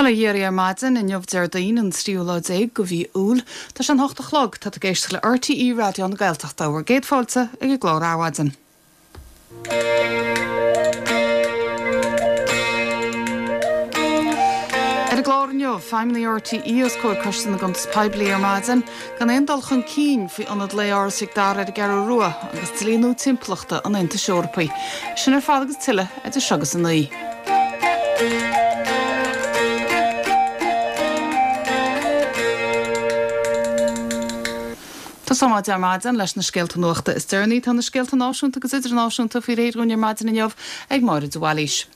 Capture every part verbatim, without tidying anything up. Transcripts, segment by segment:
Bail ó Dhia oraibh ar maidin inniu Déardaoin an tríú lá déag de mhí Iúil. Tá sé an hocht a chlog, tá tú ag éisteacht le RTÉ Raidió na Gaeltachta bhur gcéad fáilte ag an gclár Adhmhaidin. Ar an gclár inniu, feidhmeannaigh RTÉ os comhair Coiste na gCuntas Poiblí ar maidin, gan aon dul chun cinn faoi ionad lae Áras Mhic Dara ar an gCeathrú Rua agus dlí nua timpeallachta an Aontais Eorpaigh. Sin ar fad agus tuilleadh idir seo agus a naoi. Tosóimid ar maidin leis na scéalta nuachta is deireanaí. Tá na scéalta náisiúnta agus idirnáisiúnta faoi réir dúinn ar maidin inniu ag Máire de Bhailís.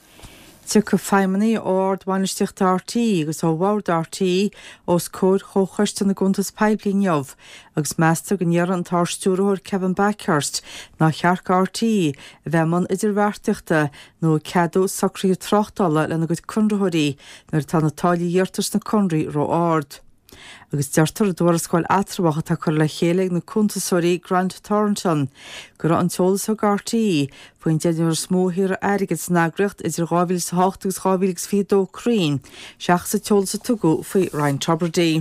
Tiocfaidh feidhmeannaigh ó ardbhainistíocht RTÉ agus ó bhord RTÉ os comhair Chomhchoiste na gCuntas Poiblí inniu agus meastar go ndéarfaidh an tArd-Stiúrthóir Kevin Bakhurst nár cheart do RTÉ a bheith i mbun idirbheartaíochta nó ag ceadú socruithe tráchtála lena gcuid conraitheoirí nuair atá na táillí a iarrtar sna conarthaí ró-ard. Agus deirtear i dtuarascáil eatramhach atá curtha le chéile ag na cuntasóirí Grant Thornton go raibh an t-eolas a thug RTÉ faoin deichniúr is mó a shaothraigh airgead san eagraíocht idir dhá mhíle is a hocht agus dhá mhíle agus fiche a dó cruinn seachas an t-eolas a tugadh faoi Ryan Tubridy.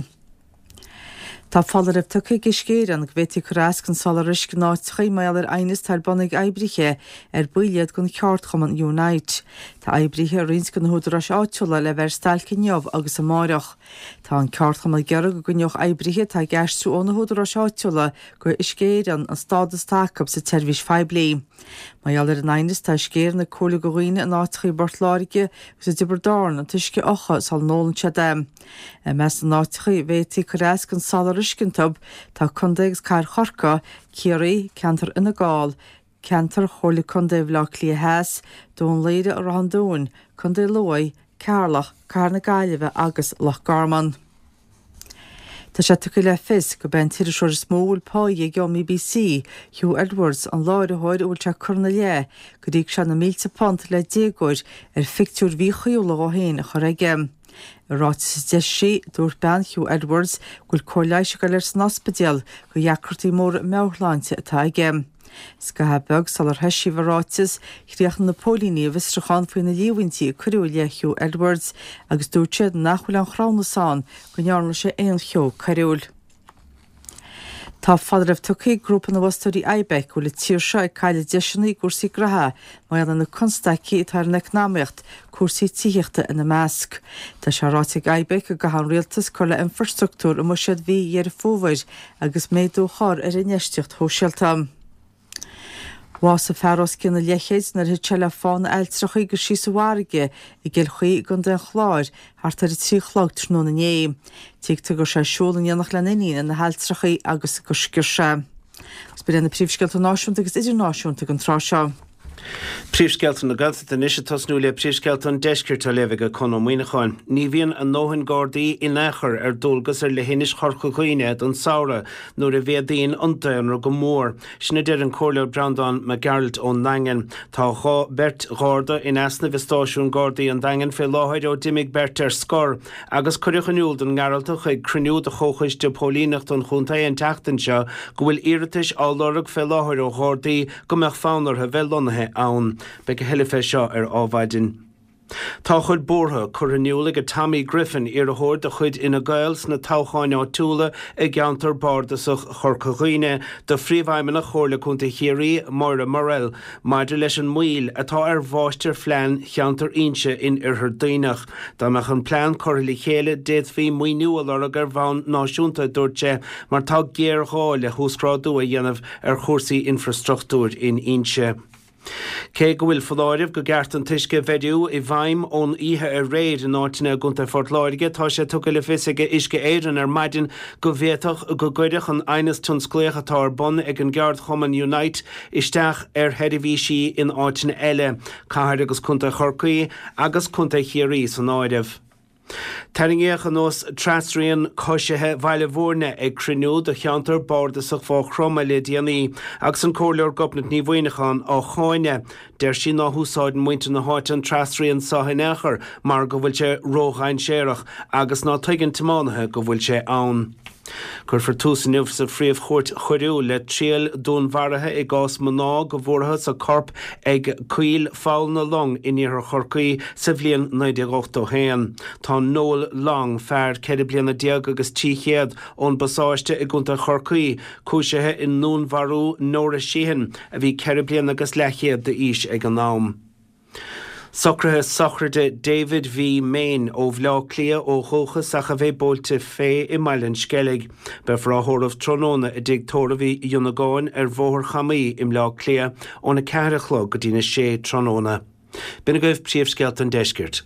Tá foláireamh tugtha ag Uisce Éireann go bhféadfaí cur as don soláthar uisce in áiteachaí mar gheall ar aighneas atá ar bun ag oibrithe ar baill iad den cheardchumann Unite. Tá oibrithe i roinnt de na húdaráis áitiúla le bheith ar stailc inniu agus amárach. Tá an ceardchumann ag iarraidh go gcoinneodh oibrithe atá ag aistriú ó na húdaráis áitiúla go Uisce Éireann an stádas atá acu sa tseirbhís phoiblí. Mar gheall ar an aighneas tá Uisce Éireann ag comhairliú do dhaoine in áiteachaí i bPort Láirge agus i dTiobraid Árann an t-uisce a fhiuchadh sula n-ólann siad é. I measc na n-áiteachaí a bhféadfaí cur as don soláthar uisce iontu tá Contae agus Cathair Chorcaí, Ciarraí, Ceantar Fhine Gall, Ceantar Chomhairle Contae Bhaile Átha Cliath Theas, Dún Laoghaire Ráth an Dúin, Contae Lú, Ceatharlach, Cathair na Gaillimhe agus Loch Garman. Tá sé tugtha le fios gurb é an t-iriseoir is mó a bhfuil páighe aige ón mBBC, Huw Edwards, an láithreoir a bhfuil sé curtha ina leith gur íoc sé na mílte punt le déagóir ar phictiúir mhíchuíúla dhó féin a chur aige. I ráiteas a d'eisigh sí, dúirt bean Huw Edwards go bhfuil cóir leighis ag dul air san ospidéal do dheacrachtaí móra meabhairshláinte atá aige. Scaitheamh beag sular heisíodh an ráiteas, chríochnaigh na póilíní a bhfiosrúchán faoi na líomhaintí a cuireadh i leith Huw Edwards agus dúirt siad nach bhfuil aon chruthúnas ann go ndearna sé aon cheo coiriúil. Tá foláireamh tugtha ag grúpa na bhfostóirí IBEC go bhfuil an tír seo ag cailleadh deiseanna i gcúrsaí graithe mar gheall ar na constaicí atá ar an eacnamaíocht, cúrsaí tithíochta ina measc. Tá sé ráite ag IBEC go gcaithfidh an rialtas cur le infrastruchtúr i mbuiséad mhí Dheireadh Fómhair agus méadú a chur ar infheistíocht shóisialta. Bhásaigh fear os cionn an leathchéid nuair a thit sé le fána ailltreacha agus síos sa bhfarraige i gCill Chaoi i gContae an Chláir thart ar a trí a chlog tráthnóna inné. Tuigtear go raibh sé ag siúl in éineacht lena iníon ar na hailltreacha agus gur sciorr sé. Agus b'in iad na príomhscéalta náisiúnta agus idirnáisiúnta ag an tráth seo. Príomhscéalta na Gaeltachta anois ag tosnú le príomhscéalta an Deiscirt á léamh ag Conn Ó Muíneacháin. Ní bhíonn a ndóthain Gardaí in aon chor ar dualgas ar leithinis Chorca Dhuibhne don samhradh nuair a mhéadaíonn an daonra go mór. Sin a deir an Comhairleoir Breandán Mac Gearailt ón nDaingean. Tá dhá beirt Gharda in easnamh i stáisiún Gardaí an Daingin fé láthair ó d'imigh beirt ar scor agus cuireadh in iúl don nGearaltach ag cruinniú de Chomhchoiste Póilíneachta an Chontae an tseachtain seo go bhfuil iarratais á lorg fé láthair ó Ghardaí go mbeadh fonn orthu bheith lonnaithe ann. Beidh a thuilleadh fé seo ar Adhmhaidin. Tá a chuid buartha curtha in iúl ag Tommy Griffin, iarrthóir de chuid Fhine Gael sna toghcháin áitiúla i gceantar bardasach Chorca Dhuibhne, do Phríomhfheidhmeannach Chomhairle Contae Chiarraí, Moira Murrell, maidir leis an moill atá ar mháistirphlean cheantar Inse in Oirthear Duibhneach. Dá mbeadh an plean curtha le chéile d'fhéadfaí maoiniú a lorg ar bhonn náisiúnta, a dúirt sé, mar tá géarghá le huasghrádú a dhéanamh ar chúrsaí infreastruchtúir in Inse. Cé go bhfuil foláireamh go gceart an t-uisce a bheiriú i bhfeidhm ón oíche aréir in áiteanna i gContae Phort Láirge, tá sé tugtha le fios ag Uisce Éireann ar maidin go bhféadfadh go gcuirfeadh an aighneas tionsclaíoch atá ar bun ag an gceardchumann Unite isteach ar sheirbhísí in áiteanna eile, Cathair agus Contae Chorcaí agus Contae Chiarraí san áireamh. Tarraingíodh anuas trasrian coisithe Bhaile Bhúirne ag cruinniú de cheantar bardasach Mhaigh Chromtha le déanaí agus an Comhairleoir Gobnait Ní Mhuineacháin á cháineadh. Deir sí ná húsáideann muintir na háite an trasrian seo in aon chor mar go bhfuil sé ródhainséarach agus ná tuigeann tiománaithe go bhfuil sé ann. Cuirfear tús inniu sa Phríomh-Chúirt Choiriúil le triail dúnmharaithe i gcás mná go bhfuarthas a corp ag coill Pholl na Long in iarthar Chorcaí sa bhliain naoi déag ochtó haon. Tá Noel Long, fear ceithre bliana déag agus trí chéad ón bPasáiste i gContae Chorcaí, cúisithe i ndúnmharú Nora Sheehan, a bhí ceithre bliana agus leathchéad d'aois ag an am. Socruithe sochraide David V. Main ó Bhleá Cliath ó dhúchas ach a bheidh buailte fé i mBaile an Sceilg. Beifear á thórramh tráthnóna i dtigh tórraimh Uí Dhionnagáin ar Bhóthar Chamaí i mBleá Cliath óna ceathair a chlog go dtína sé tráthnóna. B'in agaibh príomhscéalta an deiscirt.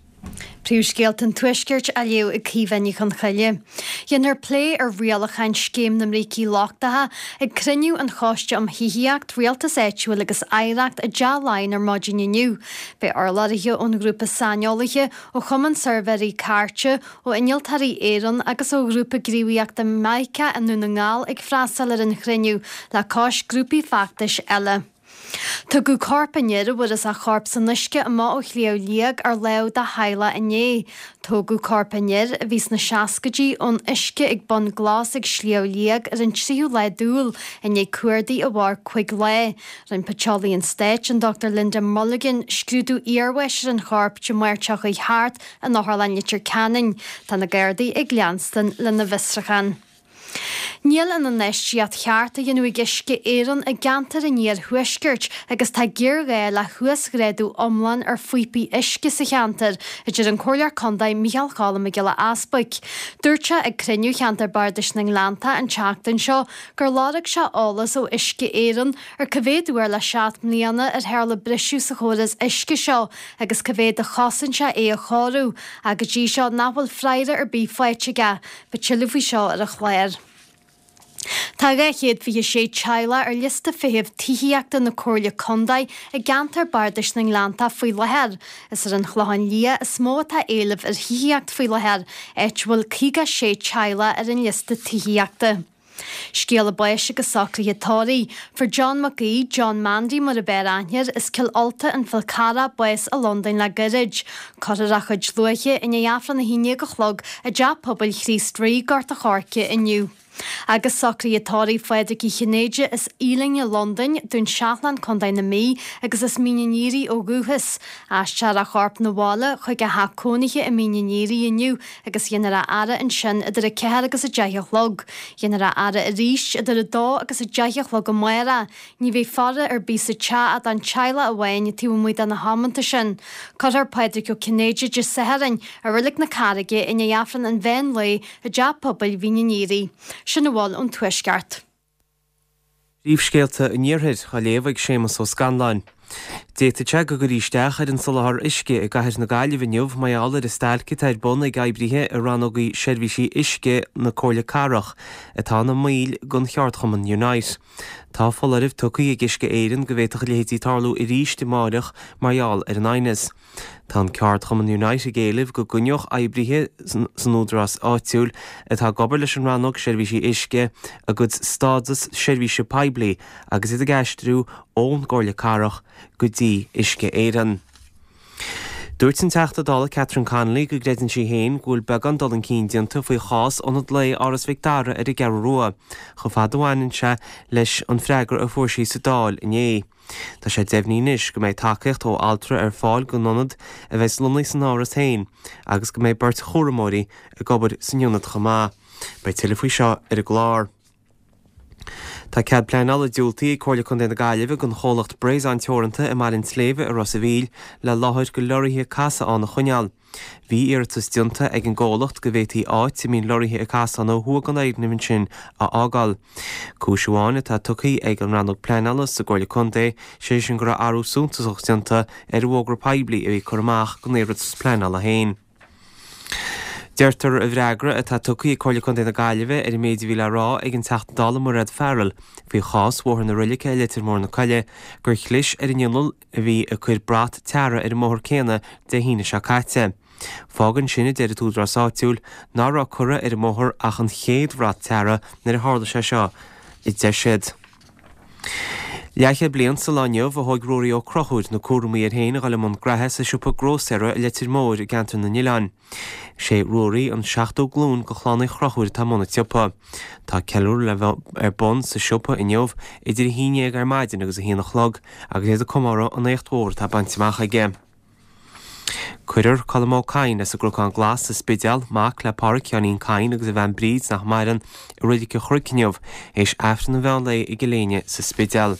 Príomhscéalta an Tuaiscirt á léamh ag Caoimhe Ní Chonchoille. Dhéanfar plé ar rialacháin Scéim na mBrící Lochtacha ag cruinniú an Choiste um Thithíocht, Rialtas Áitiúil agus Oidhreacht i dTeach Laighean ar maidin inniu. Beidh urlabhraithe ón ghrúpa saineolaithe, ó Chumann Suirbhéirí Cairte, ó Innealtóirí Éireann agus ó Ghrúpa Gníomhaíochta Mica i nDún na nGall ag freastal ar an chruinniú le cois grúpaí feachtais eile. Tugadh corp an fhir a bhfuarthas a chorp san uisce amach ó Shliabh Liag ar láimh dá theaghlach inné. Tógadh corp an fhir, a bhí sna seascaidí, ón uisce ag Bun Glas ag Sliabh Liag ar an tríú lá d'Iúil, i ndiaidh cuardaigh a mhair cúig lá. Rinne Paiteolaí an Stáit, an Dochtúir Linda Mulligan, scrúdú iarbháis ar an chorp Dé Máirt seo chuaigh thart in Otharlann Leitir Ceanainn. Tá na Gardaí ag leanstan lena bhfiosrúchán. Níl an infheistíocht cheart á dhéanamh ag Uisce Éireann i gceantar an iarthuaiscirt agus tá géarghá le huasghrádú iomlán ar phíopaí uisce sa cheantar, a deir an Comhairleoir Contae Micheál Cholm Mac Giolla Easbuic. Dúirt sé ag cruinniú cheantar Bardais na nGleannta an tseachtain seo gur lorg sé eolas ó Uisce Éireann ar cá mhéad uair le seacht mbliana ar tharla briseadh sa chóras uisce seo agus cá mhéad a chosain sé é a chóiriú, ach go dtí seo nach bhfuil freagra ar bith faighte aige. Beidh tuilleadh faoi seo ar an chlár. Tá dhá chéad fiche sé teaghlach ar liosta feithimh tithíochta na Comhairle Contae i gceantar Bardais na nGleannta faoi láthair. Is ar an Chlochán Liath is mó atá éileamh ar thithíocht faoi láthair, áit a bhfuil caoga sé teaghlach ar an liosta tithíochta. Scéala báis agus socruithe tórraimh. Fuair John Mac Aoidh, John Mandy mar ab fhearr aithne air, as Cill Ulta an Fhál Carrach, bás i Londain le gairid. Cuirfear a chuid luaithe i ndiaidh Aifreann a haon déag a chlog i dTeach Pobail Chríost Rí, Gort a' Choirce inniu. Agus socruithe tórraimh Phádraig Uí Chinnéide as Ealing i Londain, Dún Seachlainn, Contae na Mí, agus as Mín an Aoraigh ó dhúchas. Aistreofar a chorp 'na bhaile chuig a theach cónaithe i Mín an Aoraigh inniu agus dhéanfar a fhaire ansin idir a ceathair agus a deich a chlog. Dhéanfar a fhaire arís idir a dó agus a deich a chlog amárach. Ní bheidh faire ar bith sa teach ach don teaghlach amháin taobh amuigh de na hamanta sin. Cuirfear Pádraig Ó Cinnéide Dé Sathairn i Reilig na Carraige i ndiaidh Aifreann an mheán lae i dTeach Pobail Mhín an Aoraigh. Sin a bhfuil ón Tuaisceart. Príomhscéalta an Iarthair á léamh ag Séamus Ó Scanláin. D'fhéadfadh sé go gcuirfí isteach ar an soláthar uisce i gcathair na Gaillimhe inniu mar gheall ar an stailc atá ar bun ag oibrithe i rannógaí seirbhísí uisce na Comhairle Cathrach, atá ina mbaill den cheardchumann Unite. Tá foláireamh tugtha ag Uisce Éireann go bhféadfadh a leithéidí tarlú arís amárach mar gheall ar an aighneas. Tá an ceardchumann Unite ag éileamh go gcoinneodh oibrithe san údarás áitiúil atá ag obair leis an rannóg seirbhísí uisce a gcuid stádas seirbhíse poiblí agus iad ag aistriú ón gComhairle Cathrach go dtí Uisce Éireann. Dúirt an Teachta Dála Catherine Connolly go gcreideann sí féin go bhfuil beagán dul chun cinn déanta faoi chás Ionad Lae Áras Mhic Dara ar an gCeathrú Rua, chomh fada a bhaineann sé leis an freagra a fuair sí sa Dáil inné. Tá sé deimhnithe anois go mbeidh tacaíocht ó altra ar fáil don ionad a bheas lonnaithe san áras féin agus go mbeidh beirt chúramóirí ag obair san ionad chomh maith. Beidh tuilleadh faoi seo ar an gclár. Tá cead pleanála diúltaithe ag Comhairle Contae na Gaillimhe don chomhlacht Bréasán Teoranta i mBaile an tSléibhe i Ros a' Mhíl le láthair do leoraithe casadh ann a choinneáil. Bhí iarratas déanta ag an gcomhlacht go bhféadfaí áit a mbíonn leoraithe ag casadh ann ó thuaidh den fhoirgneamh ansin a fhágáil. Cúis amháin atá tugtha ag an rannóg pleanála sa gComhairle Contae, sé sin go raibh athrú suntasach déanta ar an bhfógra poiblí a bhí curtha amach don iarratas pleanála féin. Deirtear i bhfreagra atá tugtha ag Comhairle Contae na Gaillimhe ar an méid a bhí le rá ag an Teachta Dála Mairéad Farrell faoi chás Bhóthar na Roilice i Leitir Móir na Coille gur chlis ar an inneall a bhí ag cur brat teara ar an mbóthar céanna Dé hAoine seo caite. Fágann sin, a deir an t-údarás áitiúil, ná raibh curtha ar an mbóthar ach an chéad bhrat teara nuair a tharla sé seo, a deir siad. Leathchéad bliain sa lá inniu a thóg Ruairí Ó Conchúir na cúraimí air féin a dhul i mbun graithe sa siopa grósaera i Leitir Móir i gceantar na nOileán. Sé Ruairí an seachtú glúin de chlann Uí Chonchúir atá i mbun an tsiopa. Tá ceiliúradh le bheith ar bun sa siopa inniu idir a haon déag ar maidin agus a haon a chlog agus iad ag comóradh an éacht mhór atá bainte amach aige. Cuirfear Colm Ó Cadhain as an gCnocán Glas sa Spidéal, mac le Páraic Sheáinín Cadhain agus a bhean Bríd nach maireann, i Reilig an Chnoic inniu, théis Aifreann an mheán lae i gCill Éinne sa Spidéal.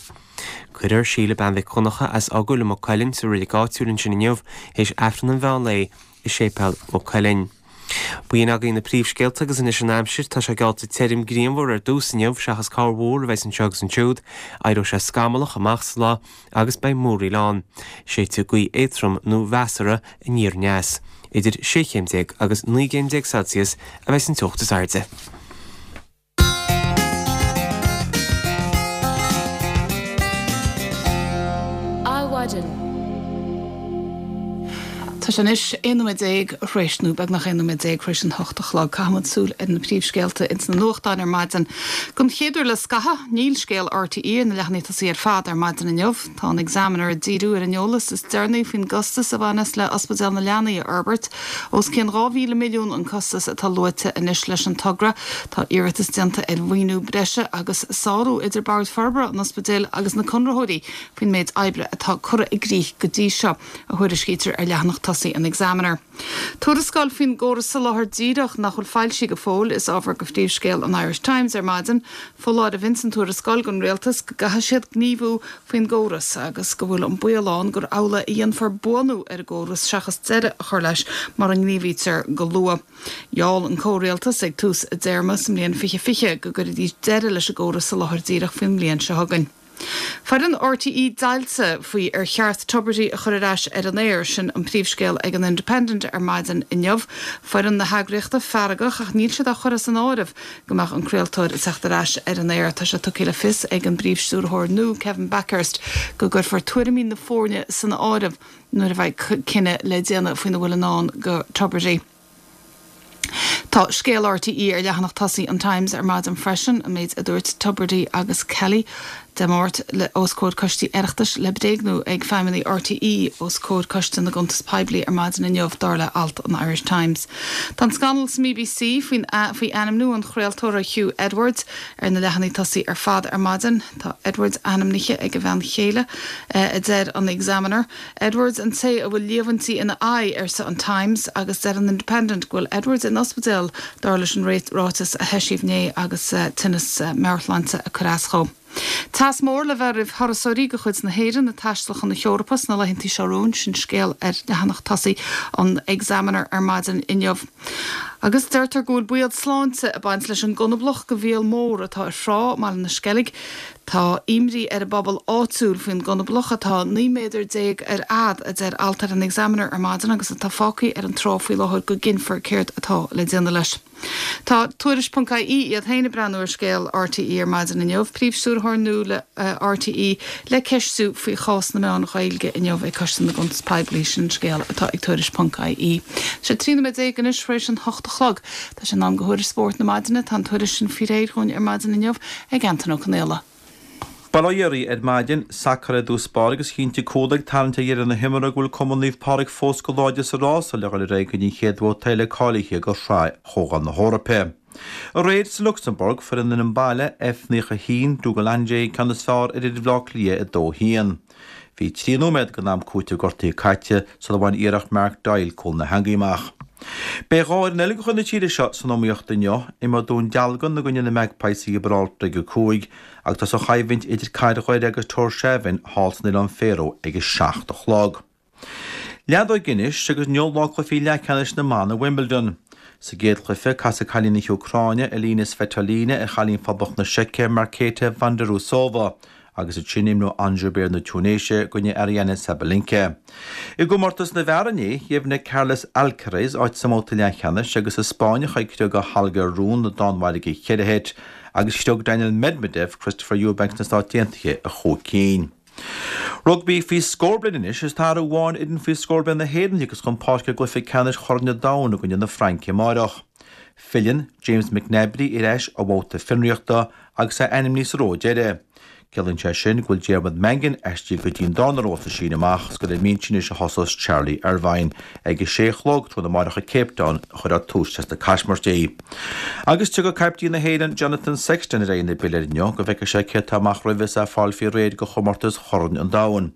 Cuirfear Síle Bean Mhic Dhonncha as Eochaill i Maigh Cuilinn sa reilig áitiúil ansin inniu, théis Aifreann an mheán lae i Séipéal Mhaigh Cuilinn. B'in agaibh na príomhscéalta agus anois an aimsir, tá sé geallta tirim grianmhar ar dtús inniu seachas corrmhúr a bheas anseo agus ansiúd. Éireoidh sé scamallach amach sa lá agus beidh múraíl ann. Séidfidh gaoth éadtrom nó mheasartha aniar aneas. Idir sé chéim déag agus naoi gcéim déag Celsius a bheas an teocht is airde. Adhmhaidin. Tá sé anois aon nóiméad déag tar éis, nó beagnach aon nóiméad déag tar éis an hocht a chlog. Caithfimid súil ar na príomhscéalta ins na nuachtáin ar maidin. Don chéad uair le scaitheamh, níl scéal RTÉ ar na leathanaigh tosaigh ar fad ar maidin inniu. Tá an Examiner ag díriú ar an eolas is deireanaí faoin gcostas a bhaineas le Ospidéal na Leanaí a fhorbairt. Os cionn dhá mhíle milliún an costas atá luaite anois leis an togra. Tá iarratas déanta ar mhaoiniú breise agus sárú idir Bord Forbartha an Ospidéil agus na conraitheoirí faoin méid oibre atá curtha i gcrích go dtí seo, a thuairiscítear ar leathanach tosaigh an Examiner. Tuarascáil faoin gcóras soláthair díreach nach bhfuil foilsithe go fóill is ábhar do phríomhscéal an Irish Times ar maidin. Foláireamh ins an tuarascáil don rialtas go gcaithfidh siad gníomhú faoin gcóras agus go bhfuil an baol ann gur amhlaidh a dhéanfar buanú ar an gcóras seachas deireadh a chur leis mura ngníomhaítear go luath. Gheall an comhrialtas ag tús a dtéarma sa mbliain fiche fiche go gcuirfidís deireadh leis an gcóras soláthair díreach faoin mbliain seo chugainn. Foireann RTÉ deighilte faoi ar cheart Tubridy a chur ar ais ar an aer, sin an príomhscéal ag an Independent ar maidin inniu. Foireann na heagraíochta feargach ach níl siad á chur as an áireamh go mbeadh an craoltóir ag teacht ar ais ar an aer. Tá sé tugtha le fios ag an bpríomhstiúrthóir nua, Kevin Bakhurst, go gcuirfear tuairimí na foirne san áireamh nuair a bheidh cinneadh le déanamh faoina bhfuil i ndán do Tubridy. Tá scéal RTÉ ar leathanach tosaigh an Times ar maidin freisin, an méid a dúirt Tubridy agus Kelly Dé Máirt le os comhair coistí Oireachtais le bréagnú ag feidhmeannaigh RTÉ os comhair Coiste na gCuntas Poiblí ar maidin inniu, dar le alt an Irish Times. Tá an scannal sa mBBC faoin faoi ainmniú an chraoltóra Huw Edwards ar na leathanaigh tosaigh ar fad ar maidin. Tá Edwards ainmnithe ag a bhean chéile, a deir an Examiner. Edwards an té a bhfuil líomhaintí ina aghaidh, arsa an Times, agus deir an Independent go bhfuil Edwards in ospidéal dar leis an ráiteas a heisíodh inné agus tinneas meabhairshláinte ag cur as dhó. Teas mór le bheith roimh thurasóirí de chuid na hÉireann ag taisteal chun na hEorpa sna laethanta seo romhainn, sin scéal ar leathanach tosaigh an Examiner ar maidin inniu. Agus deirtear go bhfuil baol sláinte ag baint leis an gconablach de mhíol mór atá ar thrá i mBaile na Sceilg. Tá imní ar an bpobal áitiúil faoin gconablach atá naoi méadar déag ar fhad, a deir alt ar an Examiner ar maidin agus atá fágtha ar an trá faoi láthair go gcinnfear céard atá le déanamh leis. Tá Tuairisc ponc IE iad féin ag breathnú ar scéal RTÉ ar maidin inniu, Príomhstiúrthóir nua le RTÉ le ceistiú faoi chás na meán Ghaeilge inniu ag Coiste na gCuntas Poiblí, sin an scéal atá ag Tuairisc ponc IE. Tá sé trí nóiméad déag anois tar éis an hocht a chlog. Tá sé in am do thuairisc spóirt na maidine. Tá an tuairisc sin faoi réir dhúinn ar maidin inniu ag Antain Ó Conaola. Bail ó Dhia oraibh ar maidin, sacar i dtús báire agus chinntigh cúl ag tarraingt ar dheireadh na himeartha go bhfuil Cumann Naomh Pádraig fós go láidir sa rása le dhul ar aghaidh go dtí an chéad bhabhta eile cáilithe do Shraith Chomhdháil na hEorpa. Aréir sa Lucsamburg, fuair an fhoireann baile, F naocha a haon, Dudelange, an ceann is fearr ar fhir Bhaile Átha Cliath a dó a haon. Bhí trí nóiméad den am cúitimh gortaithe caite sula bhain iarracht Mark Doyle cúl na heangaí amach. Beidh dhá fhoireann eile de chuid na tíre seo san iomaíocht inniu, imreoidh Dún Dealgan i gcoinne na Magpies i Giobráltar ag a cúig agus tá an choimhlint idir Cathair Dhoire agus Tórshavn thall san Oileán Faroe ag a seacht a chlog. Leadóg anois agus inniu lá cluichí leathcheannais na mban i Wimbledon. Sa gcéad chluiche, casfaidh cailín na hÚcráine, Elina Svitolina, ar chailín Phoblacht na Seice, Marketa Vondrousova. agus ansin imreoidh Ons Jabeur na Túinéise i gcoinne Aryna Sabalenka. I gcomórtas na bhfear inné, dheimhnigh Carlos Alcaraz áit sa mbabhta leathcheannais agus an Spáinneach ag criogadh Holger Rune na Danmhairge i cheithre sheit agus chriog Daniil Medvedev Christopher Eubanks na Stát Aontaithe i chúig cinn. Rugbaí faoi scór bliain anois is tá athrú amháin ar fhoireann faoi scór bliain na hÉireann a thiocfas chun páirce i gcluiche ceannais Chorn an Domhain i gcoinne na Fraince amáireach. Filleann James McNabry ar ais ó bhabhta fionraíochta agus é ainmnithe sa rogha deiridh. Ciallaíonn sé sin go bhfuil Diarmuid Mangan aistrithe go dtí an darna ró sa síneadh amach is gur ar an mbinse anois a thosós Charlie Irvine. Ag a sé a chlog tráthnóna amárach i Cape Town a chuirfear tús leis na caismirtí. Agus tiocfaidh caiptín na hÉireann Jonathan Sexton ar aghaidh na bpiléar inniu go bhfeicfidh sé cé atá amach roimhe is é ag fáil faoi réir do chomórtas Chorn an Domhain.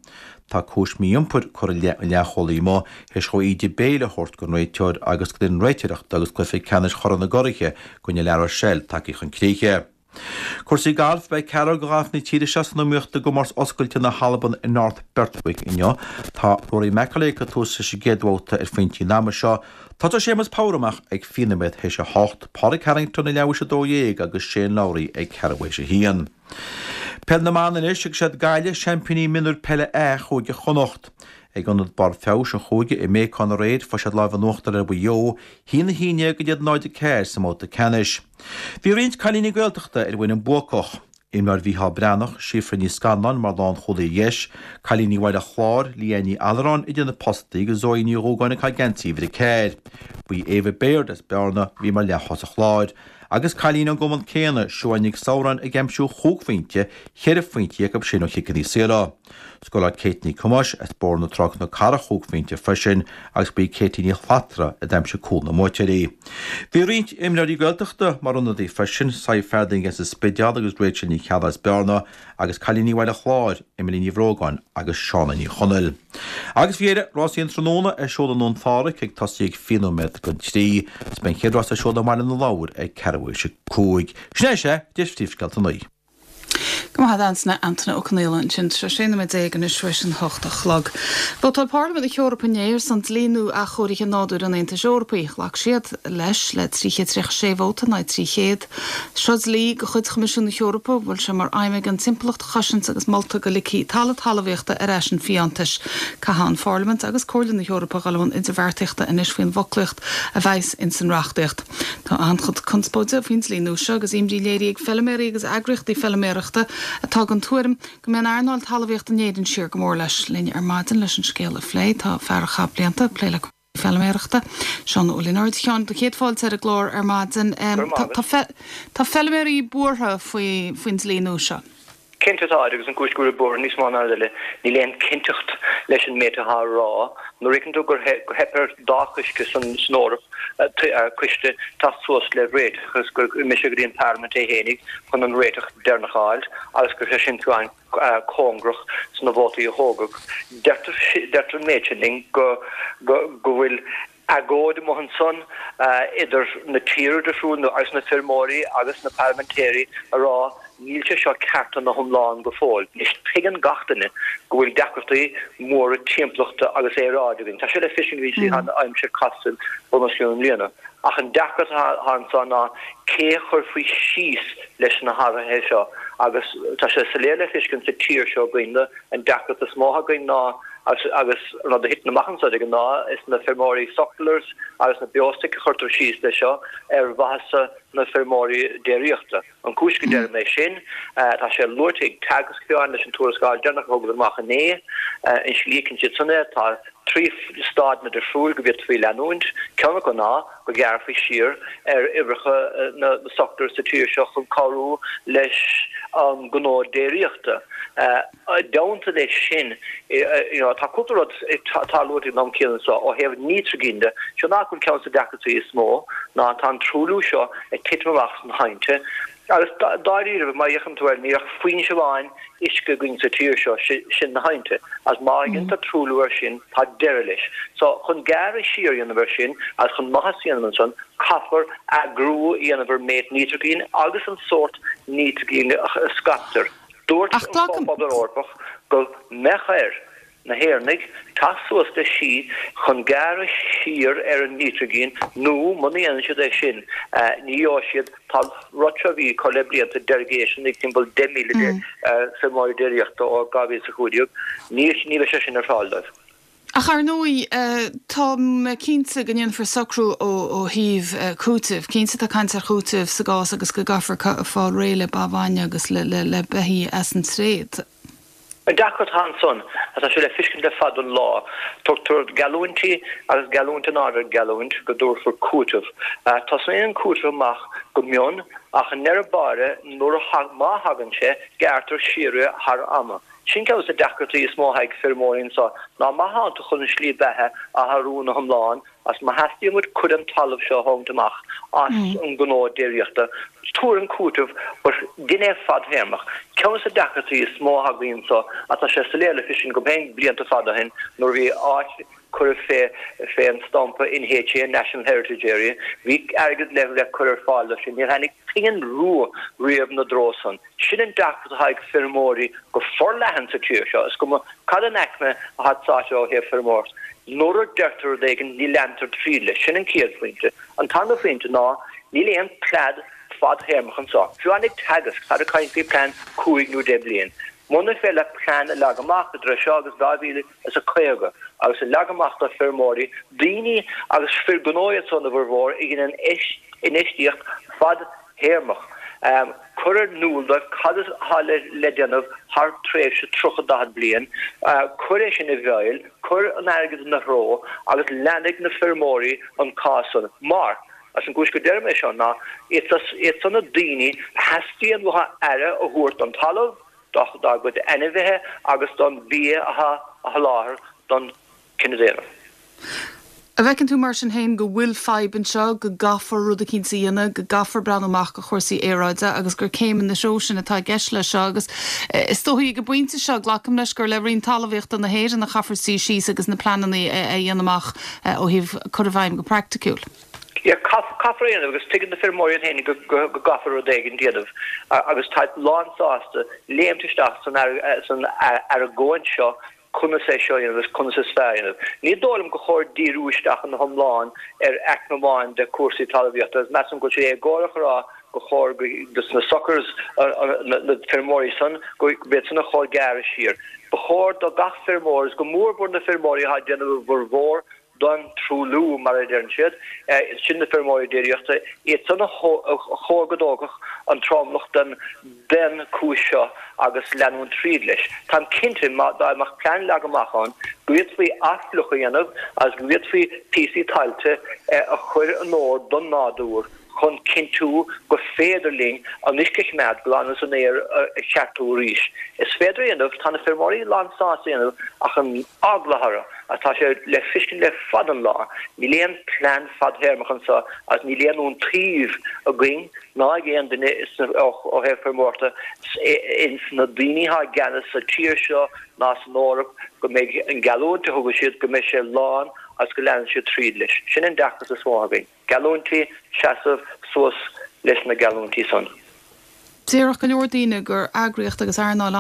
Tá cúis mí-iompair curtha i leith an leathchúlaí amuigh théis dhó íde béil a thabhairt don réiteoir agus don réiteoireacht agus cluiche ceannais Chorn na gCuraithe i gcoinne La Rochelle tagtha chun críche. Cúrsaí gailf, Beidh ceathrar de ghalfaithe na tíre seo san iomaíocht i gcomórtas oscailte na hAlban i North Berwick inniu. Tá Rory McIlroy ag tús leis an gcéad bhabhta ar phointí an ama seo. Tosóidh Séamus Power amach ag fiche nóiméad théis a hocht, Pádraig Harrington ag leathuair théis a dó dhéag agus Shane Lowry ag ceathrú théis a haon. Peil na mBan anois agus siad Gaillimh seaimpíní mionúir peile A Chúige Chonnacht. Ag Ionad Barr Feabhais an Chúige i mBéacán aréir fuair siad lámh in uachtar ar Mhaigh Eo, haon a haon déag in aghaidh náid a ceathair sa mbabhta ceannais. Bhí roinnt cailíní Gaeltachta ar an bhfoireann buacach. Imreoir Mhícheál Breathnach, Síofra Ní Scanláin mar lánchúlaí dheis, cailíní Bhaile Chláir, Leanne Ní Allaráin idir na postaí agus Zoe Ní Dhúgáin ag caitheamh geansaí uimhir a ceathair. Ba í Ava Baird as Bearna a bhí mar leath-thosach láir. Agus cailín ón gcumann céanna, Siobhán Nic Samhráin ag aimsiú chúig phointe, cheithre phointe acu sin ó chiceanna saora. Scóráil Kate Ní Cumáis as Bóthar na Trá Cnoc Cara chúig phointe freisin agus ba í Katie Ní Shlatra a d'aimsigh cúl na mbuaiteoirí. Bhí roinnt imreoirí Gaeltachta mar ionadaí freisin, Sadhbh Farthing as an Spidéal agus Rachel Ní Cheallaigh as Bearna agus cailíní Bhaile Chláir, Emily Ní Bhrógáin agus Shauna Ní Chonaill. Agus faoi dheireadh, rásaí an tráthnóna ar siúl i nDún Phádraig ag tosaí ag fiche nóiméad don trí, is beidh an chéad rás ar siúl i mBaile na Lobhar ag ceathrú théis a cúig. Sin é sé, deis phríomhscéalta an lae. Go maith ansin Antaine Ó Conghaile ansin sé sé nóiméad déag anois tar éis an hocht a chlog. Vótáil Parlaimint na hEorpa inné ar son dlí nua athchóirithe nádúir an Aontais Eorpaigh. Ghlac siad leis le trí chéad tríocha sé vóta in aghaidh trí chéad. Seo dlí de chuid Choimisiún na hEorpa bhfuil sé mar aidhm aige an timpeallacht a chosaint agus molta go ligfí talamh talmhaíochta ar ais an fiántais. Caithfidh an Pharlaimint agus Comhairle na hEorpa dul i mbun idirbheartaíochta anois faoin bhfoclaíocht a bheas ins an reachtaíocht. Tá an-chuid conspóide faoin dlí nua seo agus imní léirithe ag feilméaraí agus eagraíochtaí feilméarachta atá den tuairim go mbeidh an earnáil talmhaíochta in Éirinn siar go mór leis. Linn ar maidin leis an scéal a phlé tá fear a chaith blianta ag plé le feilméarachta. Seán Ó Lionáird Sheáin do chéad fáilte ar an gclár ar maidin. Tá feilméaraí buartha faoi faoin dlí nua seo. Cinnte tá agus an chúis go bhfuil buartha níos mó ná eile, níl aon cinnteacht leis an méid atá á rá. Nuair a fheiceann tú gur theip ar dá choiste san Eoraip, coiste teacht suas le réiteach agus gur imigh sé go dtí an Pharlaimint é fhéinig chun an réiteach deireanach a fháil agus go raibh sé sin fiú an-cóngarach sna vótaí a thógadh. Deirtear an méid sin linn go bhfuil agóid amuigh ansan idir na tíortha difriúla agus na feirmeoirí agus na parlaimintéirí a rá níl sé seo ceart ina hiomlán go fóill. Anois tuigeann gach duine go bhfuil deacrachtaí móra timpeallachta agus aeráide againn. Tá sé le feiscint go dtí an aimsir casta bunoscionn i mbliana. Ach an deacracht atá anso ná cé a chuirfí síos leis na hathruithe seo agus tá sé soiléir le feiscint sa tír seo againn an deacracht is mó atá againn ná Agus agus an rud a thiteann amach anso de ghnáth is na feirmeoirí sucklers agus na beostoic a chuirtear síos leis seo ar mhaitheasa na feirmeoirí déiríochta. An cúis go deirim é sin, tá sé luaite ag Teagasc fiú amháin leis an tuarascáil deireanach a thugadar amach inné, an slí a fheiceann siad san é, tá trí stáideanna difriúil go bhféadfaí leanúint, ceann acu ná go ghearrfaí siar ar uimhreacha na sucklers sa tír seo chun cabhrú leis an ngnó déiríochta. I dteannta leis sin, you know, tá cúpla rud atá luaite ag an am céanna seo ó thaobh nítrigine de, seo nach bhfuil ceann de na deacrachtaí is mó ná tá an truailliú seo ag titim amach sna haibhnte agus dáiríre má fhéachann tú air níl ach foinse amháin uisce againn sa tír seo, sin na haibhnte agus má dhéantar truailliú air sin tá deireadh leis. So chun gearradh siar a dhéanamh air sin agus chun maitheas a dhéanamh ansan caithfear eagrú a dhéanamh ar méid nítrigine agus an sórt nítrigine a scaiptear. Dúirt an Comhphobal Eorpach go mbeadh ar na hÉireannaigh teacht suas le slí chun gearradh siar ar an nítrigin nó muna ndéanann siad é sin ní gheobhaidh siad Tá an rud seo a bhí curtha le blianta deirgéisean ag timpeall deich míle feirmeoirí déiríochta ó dhá mhíle is a cúig déag ní bheidh sé sin ar fáil dóibh. Ach ar ndóigh, tá mé cinnte go ndéanfar socrú ó thaobh cúitimh. Cinnte tá caint ar chúiteamh sa gcás agus go gcaithfear fáil réidh le ba bhainne agus le beithígh as an tréad. An deacracht atá ansan, agus tá sé le feiscint le fada an lá, tugtar geallúintí agus geallúint in ard ar gheallúint go dtabharfar cúiteamh. Tosaíonn an cúiteamh amach go mion ach i ndeireadh báire nuair a, má thagann sé, gearrtar siar é thar ama. Sin ceann de na deacrachtaí is mó atá ag feirmeoirí anso ná má thánn tú chun an slí beatha a athrú ina hiomlán agus má theastaíonn uait cuid den talamh seo a thógaint amach as an ngnó déiríochta, tabhair an cúiteamh but dein é fadthéarmach. Ceann de na deacrachtaí is mó atá againn anso agus tá sé soiléir le feiscint agam féin blianta fada ó shin nuair a bhí áit curtha fé fé an stampa NHA, National Heritage Area, bhí airgead le le cur ar fáil dó sin, níor tháinig pingin rua riamh ina dtreo san. Sin an deacracht atá ag feirmeoirí go forleathan sa tír seo, is cuma cad an aicme atá sáite ó thaobh feirmeoireacht. Nuair a deirtear rud éigin ní leantar tríd leis. Sin an chéad phointe. An tarna phointe ná níl aon plean fadthéarmach anseo. Fiú amháin ag Teagasc, táid ag caint faoi plean cúig nó deich bliain. Muna féidir leat plean a leagan amach idir seo agus dhá mhíle is a caoga agus a leagan amach do feirmeoirí, daoine agus fir gnó iad san a bhformhór a dhéanann infheistíocht fadthéarmach, cur in iúl dóibh cad atá le déanamh thar tréimhse tríocha, daichead bliain, cuir é sin i bhfeighil, cuir an airgead ina threo agus leanfaidh na feirmeoirí an cás san. Mar, as an gcúis go deirim é seo ná, iad san na daoine a theastaíonn uathu aire a thabhairt don talamh, dá gcuid ainmhithe agus don bhia atá á sholáthar don chine daonna. An bhfeiceann tú mar sin féin go bhfuil fadhb anseo, go gcaithfear rud eicínt a dhéanamh, go gcaithfear breathnú amach do chúrsaí aeráide agus gur céim ina threo sin atá i gceist leis seo agus is dóichí ag an bpointe seo, glacaim leis gur le Roinn Talmhaíochta na hÉireann a chaithfear suí síos agus na pleananna a dhéanamh amach ó thaobh cur i bhfeidhm go praiticiúil. Yeah, caithfear é a dhéanamh agus tuigeann na feirmeoirí iad féin go gcaithfear rud éigin a dhéanamh agus táid lánsásta léimt isteach san argóint seo conas é seo a dhéanamh agus conas is fearr a dhéanamh. Ní dóigh liom gur chóir díriú isteach ina hiomlán ar aicme amháin de chúrsaí talmhaíochta agus measaim go bhfuil sé éagórach a rá gur chóir dos na suckers, na feirmeoirí san, go iad san a chóir gearradh siar. Ba chóir do gach feirmeoir, agus go mórmhór na feirmeoirí atá ag déanamh a bhformhór don truailliú, mar a deireann siad, sin na feirmeoirí déiríochta, iad san a chóir go dtógfadh an tromlach den den chúis seo agus leanúint tríd leis. Táim cinnte má dá mbeadh plean leagtha amach ann go bhféadfaí athfhliuchadh a dhéanamh agus go bhféadfaí píosaí tailte a chur in ord don nádúr chun cinntiú gur féidir linn an uisce a choimeád glan agus an aer a cheartú arís. Is féidir a dhéanamh, tá na feirmeoirí lán sásta a dhéanamh ach an eagla orthu agus tá sé le feiscint le fada an lá. Níl aon plean fadthéarmach anseo agus níl aon iontaoibh againn ná ag aon duine ó thaobh feirmeoireachta ins na daoine atá i gceannas sa tír seo ná san Eoraip go mbeidh an geallúint a thugann siad go mbeidh sé lán agus go leanann siad tríd leis. Sin an deacracht is mó againn. Geallúintí, seasamh suas leis na geallúintí san. Déarfadh go leor daoine gur eagraíocht agus earnáil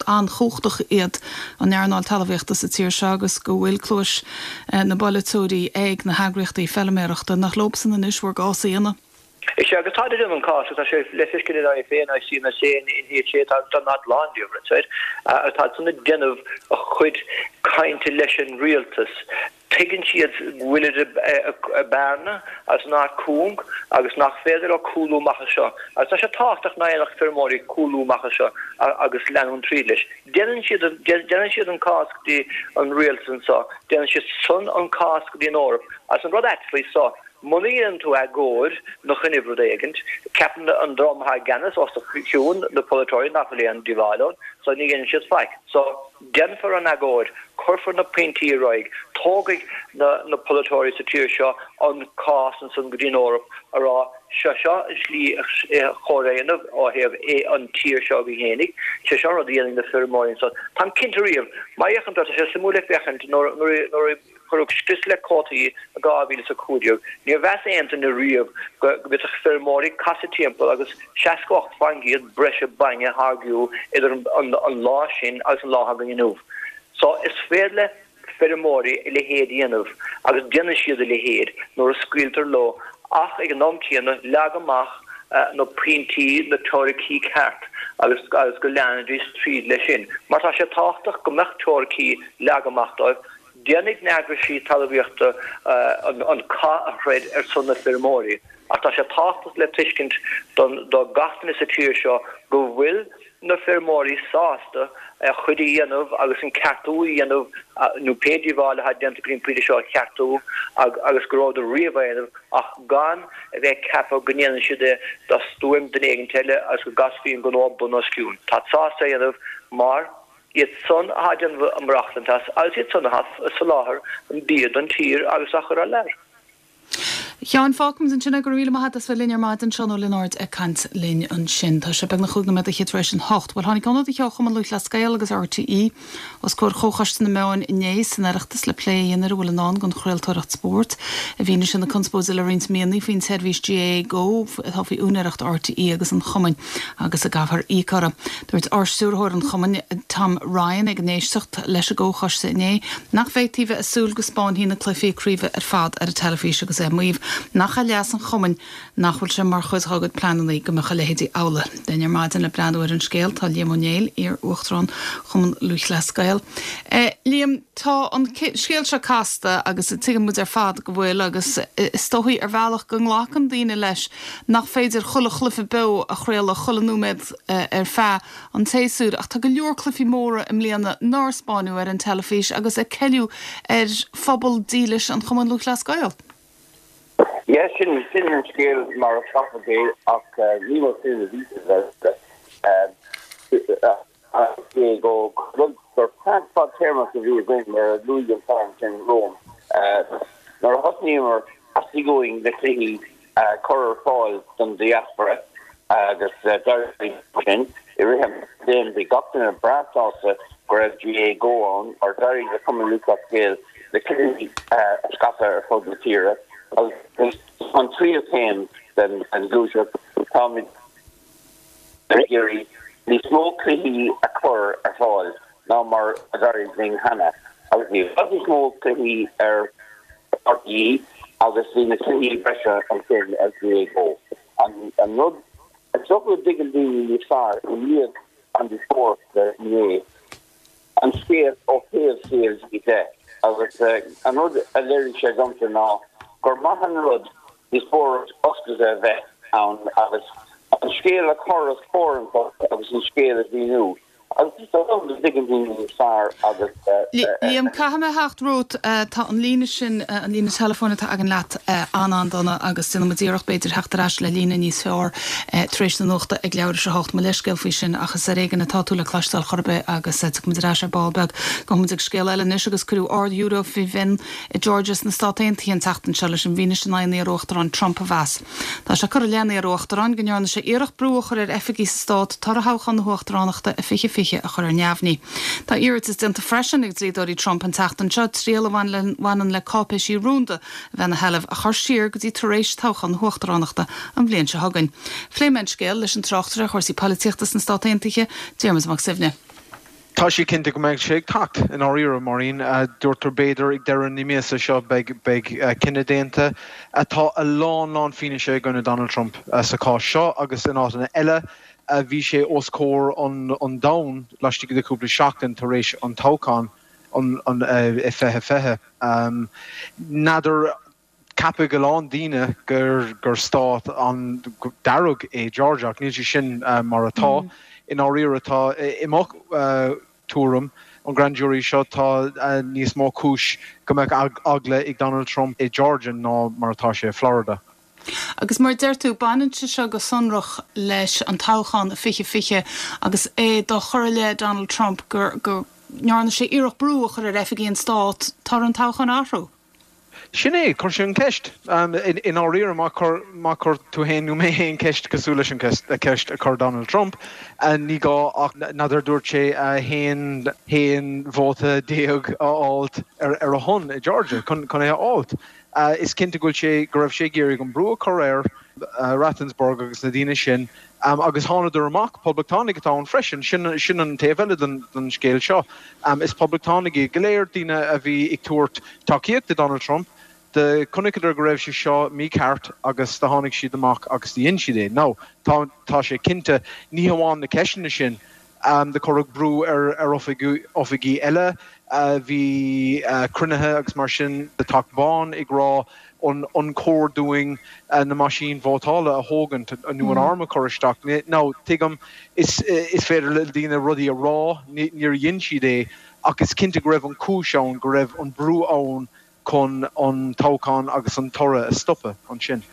an-chumhachtach iad an earnáil talmhaíochta sa tír seo agus go bhfuil cluais na bpolaiteoirí ag na heagraíochtaí feilméarachta. Nach leobsan anois bhur gcás a dhéanamh? Is ea, agus táid ag déanamh an cás agus tá sé le feiscint in IFA, in ICMSA, in NHA, tá tá a lán díobh, right, agus táid san ag déanamh a chuid cainte leis an rialtas. Tuigeann siad go bhfuilid i mbearna agus in áit cúng agus nach féidir leo cúlú amach as seo. Agus tá sé tábhachtach nach ndéanfadh feirmeoirí cúlú amach as seo agus leanúint tríd leis. Déanann siad déanann siad an cás go dtí an rialtas anseo, déanann siad san an cás go dtí an Eoraip. Agus an rud ait faoi seo, muna dhéanann tú agóid ina choinnibh rud éigint, ceapann an dream atá i gceannas os do chionn, na polaiteoirí, nach bhfuil aon díobháil ann, so ní dhéanann siad faic. So, déanfar an agóid, cuirfear na pointí ar aghaidh, tógfaidh na na polaiteoirí sa tír seo an cás ansan go dtí an Eoraip a rá, seo seo an slí a chóir a dhéanamh ó thaobh an tír seo againn fhéinig, sé seo an rud a dhéanfaidh na feirmeoirí ansan. Táim cinnte riamh, má fhéachann tú, tá sé suimiúil le féachaint nuair nuair a cuireadh scrios le cuótaí i dhá mhíle is a cúig déag, níor mheas aon duine riamh go bhféadfadh feirmeoirí casadh timpeall agus seasca ocht faoin gcéad breise bainne a tháirgiú idir an lá sin agus an lá atá againn inniu. So is féidir le feirmeoirí a leithéid a dhéanamh agus déanann siad a leithéid nuair a scaoiltear leo ach ag an am céanna leag amach na pointí, na teoiricí ceart agus agus go leanfaidís tríd leis sin. Mar tá sé tábhachtach go mbeadh teoiricí leagtha amach dóibh. Déanfaidh na heagraisí talmhaíochta an cath a throid ar son na feirmeoirí ach tá sé tábhachtach le tuiscint do gach duine sa tír seo go bhfuil na feirmeoirí sásta a chuid a dhéanamh agus an ceartú a dhéanamh nó pé díobháil atá déanta go dtí an pointe seo a cheartú agus go rabhadar riamh á dhéanamh ach gan a bheith ag ceapadh go ndéanann siad é do stuaim duine éigin eile agus go gcasfaí an gnó bun os cionn. Táid sásta é a dhéanamh mar iad san atá ag déanamh a maireachtaint as agus iad san atá ag soláthar an bia don tír agus á chur thar lear. A Sheáin, fágfaimid ansin é, go raibh míle maith agat as bheith linn ar maidin, Seán Ó Lionáird ag caint linn ansin. Tá sé beagnach chúig nóiméad fhichead tar éis an hocht. Bhuel, tháinig ionadaithe ó Chumann Lúthchleas Gael agus RTÉ os comhair Chomhchoiste na Meán inné san Oireachtas le plé a dhéanamh ar a bhfuil i ndán don chraoltóireacht spóirt. I bhfianaise na conspóide le roinnt míonna faoin tseirbhís GAA Go atá faoi úinéireacht RTÉ agus an Chumainn agus a gcaithfear íoc orthu. Dúirt Ardstiúrthóir an Chumainn, Tom Ryan, ag an éisteacht leis an gComhchoiste inné nach bhféadfaí bheith ag súil go 'spáinfí na cluichí craoibhe ar fad ar an teilifís agus é ag maíomh nach é leas an chumainn nach bhfuil sé mar chuid dá gcuid pleananna go mbeadh a leithéidí amhlaidh. Linn ar maidin le breathnú ar an scéal tá Liam Ó Néill, iar-Uachtarán Chumann Lúthchleas Gael. Liam, tá an scéal seo casta agus tuigeann muid ar fad go bhfuil agus is dóichí ar bhealach go nglacann daoine leis nach féidir chuile chluiche beo a chraoladh chuile nóiméad ar feadh an tséasúir ach tá go leor cluichí móra i mbliana nár spáineadh ar an teilifís agus ag ceileadh ar phobal dílis an Chumainn Lúthchleas Gael. Yeah, sin sin an scéal mar a chaithfear é ach ní mar sin a bhí sé é go rud gur plean fadtéarmach a bhí againn mar a luaigh an fear sin romham. Nuair a thosnaíomar theastaigh uainn na cluichí a chur ar fáil don diaspora agus d'éirigh sin i rith an bhliain bhí gach duine breá sásta go raibh GAA Go ann mar d'éirigh le Cumann Lúthchleas Gael na cluichí a scaipeadh ar fud na tíre agus an tríú céim den ghluaiseacht táimid ag iarraidh níos mó cluichí a chur ar fáil ná mar a d'éirigh linn cheana agus bhí i bhfad níos mó cluichí ar RTÉ agus bhí na cluichí breise ansin ar GAA Go. An rud is dócha go dtuigeann daoine níos fearr i ndiaidh an díospóireachta inné, an scéal ó thaobh CLG de agus an rud a léirigh sé domsa ná gur maith an rud díospóireacht oscailte a bheith ann agus an scéal a chur os comhair an phobail agus an scéal a mhíniú agus is dóigh liom go dtuigeann daoine níos fearr agus. Liam, caithfidh mé theacht romhat, tá an líne sin, an líne teileafóin atá againn leat an-an-dona agus déanfaidh muid iarracht b'fhéidir theacht ar ais le líne níos fearr tar éis na nuachta ag leathuair tar éis a hocht. Mo leithscéal faoi sin ach is ar éigean atá tú le cloisteáil chor ar bith agus tiocfaidh muid ar ais ar ball beag. Gabhfaidh muid ag scéal eile anois agus cuireadh Ard-Ghiúiré faoi mhionn i Georgia sna Stáit Aontaithe an tseachtain seo leis an bhfianaise in aghaidh an iar-uachtaráin Trump a mheas. Tá sé curtha i leith an iar-uachtaráin go ndearna sé iarracht brú a chur ar oifigigh sa stát toradh thoghchán na huachtaránachta i fiche fiche a chur ar neamhní. Tá iarratas déanta freisin ag dlíodóirí Trump an tseachtain seo triail a bhaineann le cáipéisí rúnda a bheith ina sheilbh a chur siar go dtí tar éis toghchán na huachtaránachta an bhliain seo chugainn. Phléigh mé an scéal leis an tráchtaire ar chúrsaí polaitíochta sna Stáit Aontaithe, Diarmuid Mac Suibhne. Tá sé cinnte go mbeidh sé ag teacht, i ndáiríre, Maureen. Deirtear b'fhéidir ag deireadh na míosa seo beidh cinneadh déanta. Tá a lán lán fianaise i gcoinne Donald Trump sa chás seo agus in áiteanna eile. Bhí sé os comhair an domhain laistigh de chúpla seachtain tar éis an toghcháin i fiche fiche. N'fheadar, ceapfaidh a lán daoine gur stát an-dearg é Georgia ach níl sé sin mar atá. I ndáiríre tá, i mo thuairim, an grand jury seo, tá níos mó cúis go mbeadh eagla ag Donald Trump i Georgia ná mar atá sé i Florida. Agus mar a deir tú, baineann sé seo go sonrach leis an toghchán i fiche fiche agus é dá chur i leith Donald Trump gur go ndearna sé iarracht brú a chur ar oifigigh an stáit toradh an toghcháin a athrú. Sin é, chuir sé an cheist. I ndáiríre, má chuir má chuir tú féin nó mé féin ceist cosúil leis an cheist a chuir Donald Trump, ní gá ach n'fheadar dúirt sé haon haon vóta déag a fháilt ar a shon i Georgia chun é a fháilt. Is cinnte go bhfuil sé, go raibh sé ag iarraidh an brú a chur ar Raffensperger agus na daoine sin agus thánadar amach, poblachtánaigh atá ann freisin, sin sin an taobh eile den den scéal seo. Is poblachtánaigh iad go léir, daoine a bhí ag tabhairt tacaíocht do Donald Trump. Do chonaiceadar go raibh sé seo mícheart agus do tháinig siad amach agus do dhein siad é. Now, tá tá sé cinnte, ní hamháin na ceisteanna sin, Do cuireadh brú ar oifigí eile. Bhí cruinnithe agus mar sin sa Teach Bán ag rá An an cóir dúinn na meaisín vótála a thógaint nó an arm a chur isteach? Now, tuigim, is is féidir le daoine rudaí a rá, níor dhein siad é, ach is cinnte go raibh an cúis ann, go raibh an brú ann chun an toghchán agus an toradh a stopadh ansin.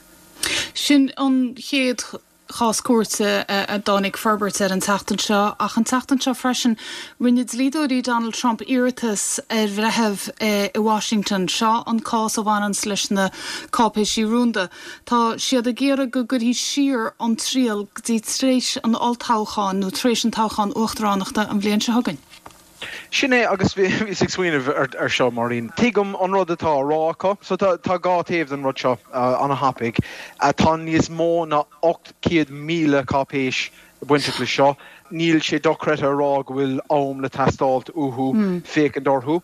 Sin an chéad chás cúirte a dtáinig forbairt air an tseachtain seo, ach an tseachtain seo freisin rinne dlíodóirí Donald Trump iarratas ar bhreitheamh i Washington. Seo an cás a bhaineanns leis na cáipéisí rúnda. Tá siad ag iarraidh go gcuirfí siar an triail go dtí tar éis an olltoghcháin nó tar éis an toghchán uachtaránachta an bhliain seo chugainn. Sin é, agus bhíos ag smaoineamh ar seo, Máirín. Tuigim an rud atá á rá acu. So tá dhá taobh den rud seo ana-thapaidh. Tá níos mó ná ocht céad míle cáipéis bainteach le seo. Níl sé dochreidte a rá go bhfuil am le teastáilt uathu féachaint orthu.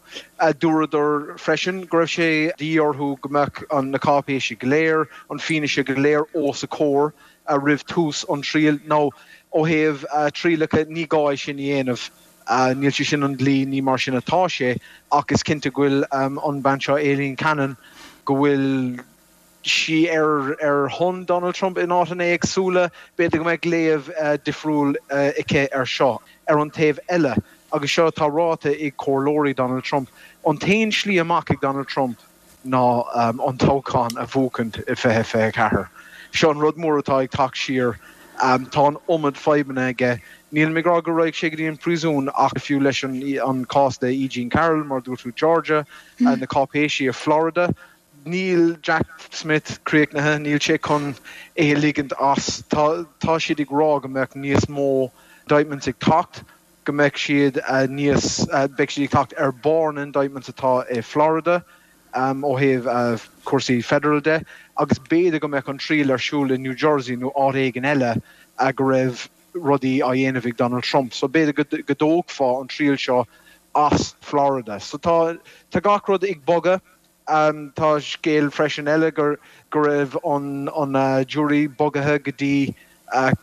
Dúradar freisin go raibh sé de dhíth orthu go mbeadh na cáipéisí go léir, an fianaise go léir os a comhair roimh tús an triail. Now, ó thaobh trialacha, ní gá é sin a dhéanamh. Níl sé sin an dlí, ní mar sin atá sé, ach is cinnte go bhfuil an bean seo, Aileen Cannon, go bhfuil sí ar ar shon Donald Trump in áiteanna éagsúla, b'fhéidir go mbeadh léamh difriúil aici ar seo. Ar an taobh eile, agus seo atá ráite ag comhairleoirí Donald Trump, an t-aon slí amach ag Donald Trump, ná an toghchán a bhuachaint i fiche fiche a ceathair. Seo an rud mór atá ag teacht siar. Tá an iomad fadhbanna aige. Nílim ag rá go raghaidh sé go dtí an príosún ach fiú leis an cás le E. Jean Carroll, mar a dúirt tú, Georgia, na cáipéisí i Florida, níl Jack Smith críochnaithe, níl sé chun é a ligint as. Tá siad ag rá go mbeadh níos mó indictments ag teacht, go mbeidh siad níos, beidh siad ag teacht ar barr na indictments atá i Florida ó thaobh cúrsaí federal de agus b'fhéidir go mbeadh an triail ar siúl i New Jersey nó áit éigin eile go raibh rudaí á dhéanamh ag Donald Trump. So b'fhéidir go dtógfá an triail seo as Florida. So tá tá gach rud ag bogadh. Tá scéal freisin eile gur go raibh an an jury bogaithe go dtí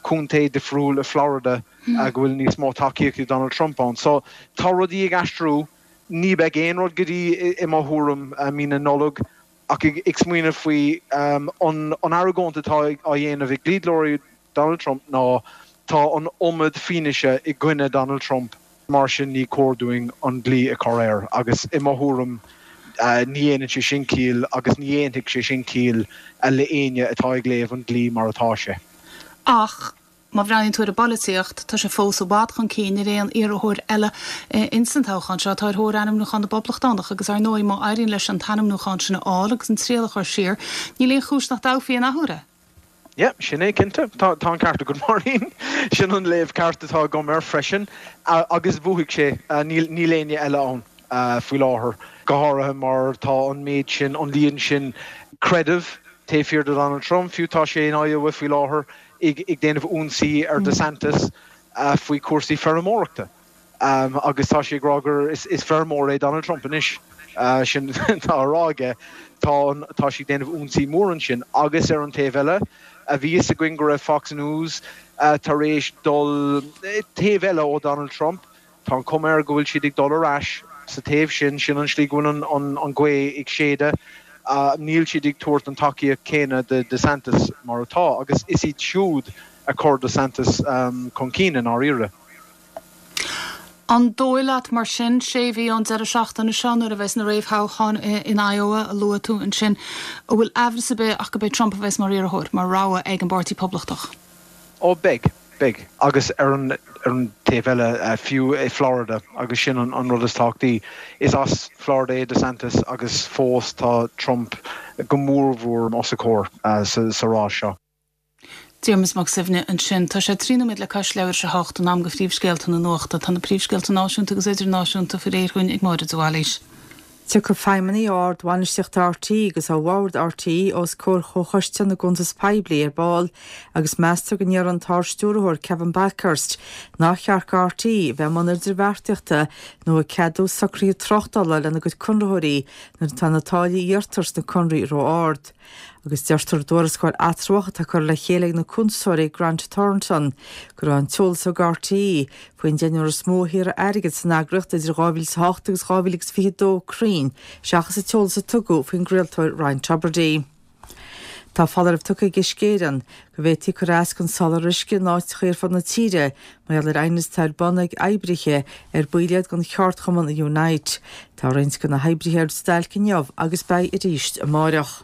contae difriúil i Florida go bhfuil níos mó tacaíocht ag Donald Trump ann. So tá rudaí ag aistriú. Ní beidh aon rud go dtí, i mo thuairim, mí na Nollag. Ach ag smaoineamh faoi an argóint atá á dhéanamh ag dlíodóirí Donald Trump ná tá an iomad fianaise i gcoinne Donald Trump, mar sin ní cóir dúinn an dlí a chur air. Agus i mo thuairim ní dhéanann sé sin ciall agus ní dhéanfaidh sé sin ciall le éinne atá ag léamh an dlí mar atá sé. Ach má bhreathnaíonn tú ar an bpolaitíocht, tá sé fós i bhfad chun cinn ar aon iarrthóir eile ins an toghchán seo atá ar thóir ainmniúchán na bPoblachtánach agus ar ndóigh má éiríonn leis an t-ainmniúchán sin a fháil agus an triail a chur siar, níl aon chúis nach dtoghfaí an athuair é. Yeah, sin é cinnte. Tá an ceart agat Máirín. Sin an léamh ceart atá agam air freisin. Agus bhuafaidh sé. Níl éinne eile ann faoi láthair, go háirithe mar tá an méid sin, an líon sin creidimh taobh thiar de Donald Trump. Fiú tá sé in Iowa faoi láthair ag déanamh ionsaí ar DeSantis faoi chúrsaí feirmeoireachta. Agus tá sé ag rá gur is feirmeoir é Donald Trump anois. Sin atá á rá aige. Tá an, tá sé ag déanamh ionsaí mór ansin. Agus ar an taobh eile, bhí fhios againn go raibh Fox News tar éis dul taobh eile ó Donald Trump. Tá an chuma air go bhfuil siad ag dul ar ais sa taobh sin. Sin an slí go bhfuil an ghaoth ag séideadh. Níl siad ag tabhairt an tacaíocht céanna do DeSantis mar atá. Agus is iad siúd a chuir DeSantis chun cinn i ndáiríre. An dóigh leat, mar sin, sé mhí ón deireadh seachtaine seo, nuair a bheas na réamhthoghcháin in Iowa a luaigh tú ansin, an bhfuil aimhreas ar bith ach go b'é Trump a bheas mar iarrthóir, mar rogha ag an bPáirtí Poblachtach? Ó, beidh. Beidh. Agus ar an taobh eile, fiú i Florida, agus sin an rud is tábhachtaí, is as Florida é DeSantis agus fós tá Trump go mórmhór os a chomhair sa rás seo. Diarmuid Mac Suibhne ansin. Tá sé trí nóiméad le cois leathuair tar éis a hocht, an am do phríomhscéalta na nuachta. Tá na príomhscéalta náisiúnta agus idirnáisiúnta faoi réir dhúinn ag Máire de Bhailís. Tiocfaidh feidhmeannaigh ó ard-bhainistíocht RTÉ agus ó bhord RTÉ os comhair Chomhchoiste na gCuntas Poiblí ar ball agus meastar go ndéarfaidh an tArd-Stiúrthóir Kevin Bakhurst nár cheart do RTÉ a bheith i mbun idirbheartaíochta nó ag ceadú socruithe tráchtála lena gcuid conraitheoirí nuair atá na táillí a iarrtar sna conarthaí ró-ard. agus deirtear i dtuarascáil eatramhach atá curtha le chéile ag na cuntasóirí Grant Thornton go raibh an t-eolas ag RTÉ faoin deichniúr is mó a shaothraigh airgead san eagraíocht idir dhá mhíle is a hocht agus dhá mhíle agus fiche a dó cruinn seachas an t-eolas a tugadh faoin gcraoltóir Ryan Tubridy. Tá foláireamh tugtha ag Uisce Éireann go bhféadfaí cur as don soláthar uisce in áiteacha ar fud na tíre mar gheall ar aighneas atá ar bun ag oibrithe ar baill iad den cheardchumann Unite. Tá roinnt de na hoibrithe ar stailc inniu agus beidh arís amáireach.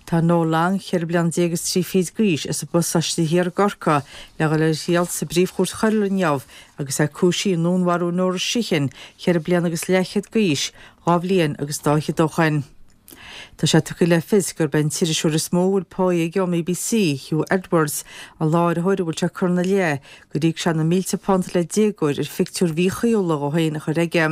Tá Noel Long, ceithre bliana déag is trí fichid d'aois, as an bPasáiste Thiar i gCorcaigh, le dhul ar a thriail sa bPríomh-Chúirt Choiriúil inniu agus é cúisithe i ndúnmharú Nóra Sheehan, ceithre bliana agus leathchéad d'aois, dhá bhliain agus dá fhichead ó shoin. Tá sé tugtha le fios gurb é an t-iriseoir is mó a bhfuil páí aige ón mBBC, Huw Edwards, an láithreoir a bhfuil sé curtha ina leith gur íoc sé na mílte punt le déagóir ar phictiúir mhíchuíúla dhó féin a chur aige.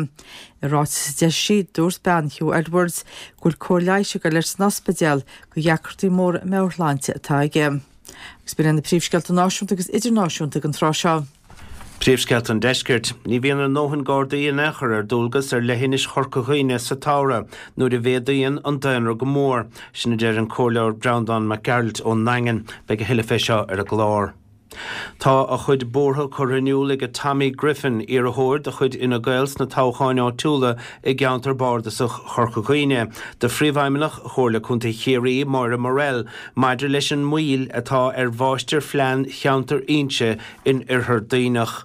I ráiteas a d'eisigh sí, dúirt bean Huw Edwards go bhfuil cóir leighis ag dul air san ospidéal do dheacrachtaí móra meabhairshláinte atá aige. Agus b'in iad na príomhscéalta náisiúnta agus idirnáisiúnta ag an tráth seo. Príomhscéalta an Deiscirt. Ní bhíonn a ndóthain Gardaí in aon chor ar dualgas ar leithinis Chorca Dhuibhne sa tsamhradh nuair a mhéadaíonn an daonra go mór. Sin a deir an Comhairleoir Breandán Mac Gearailt ón nDaingean. Beidh a thuilleadh fé seo ar an gclár. Tá a chuid buartha curtha in iúl ag Tommy Griffin, iarrthóir de chuid Fhine Gael sna toghcháin áitiúla i gceantar bardasach Chorca Dhuibhne, do Phríomhfheidhmeannach Chomhairle Contae Chiarraí, Máire Morrell, maidir leis an moill atá ar Mháistirphlean Cheantar Inse in Oirthear Duibhneach.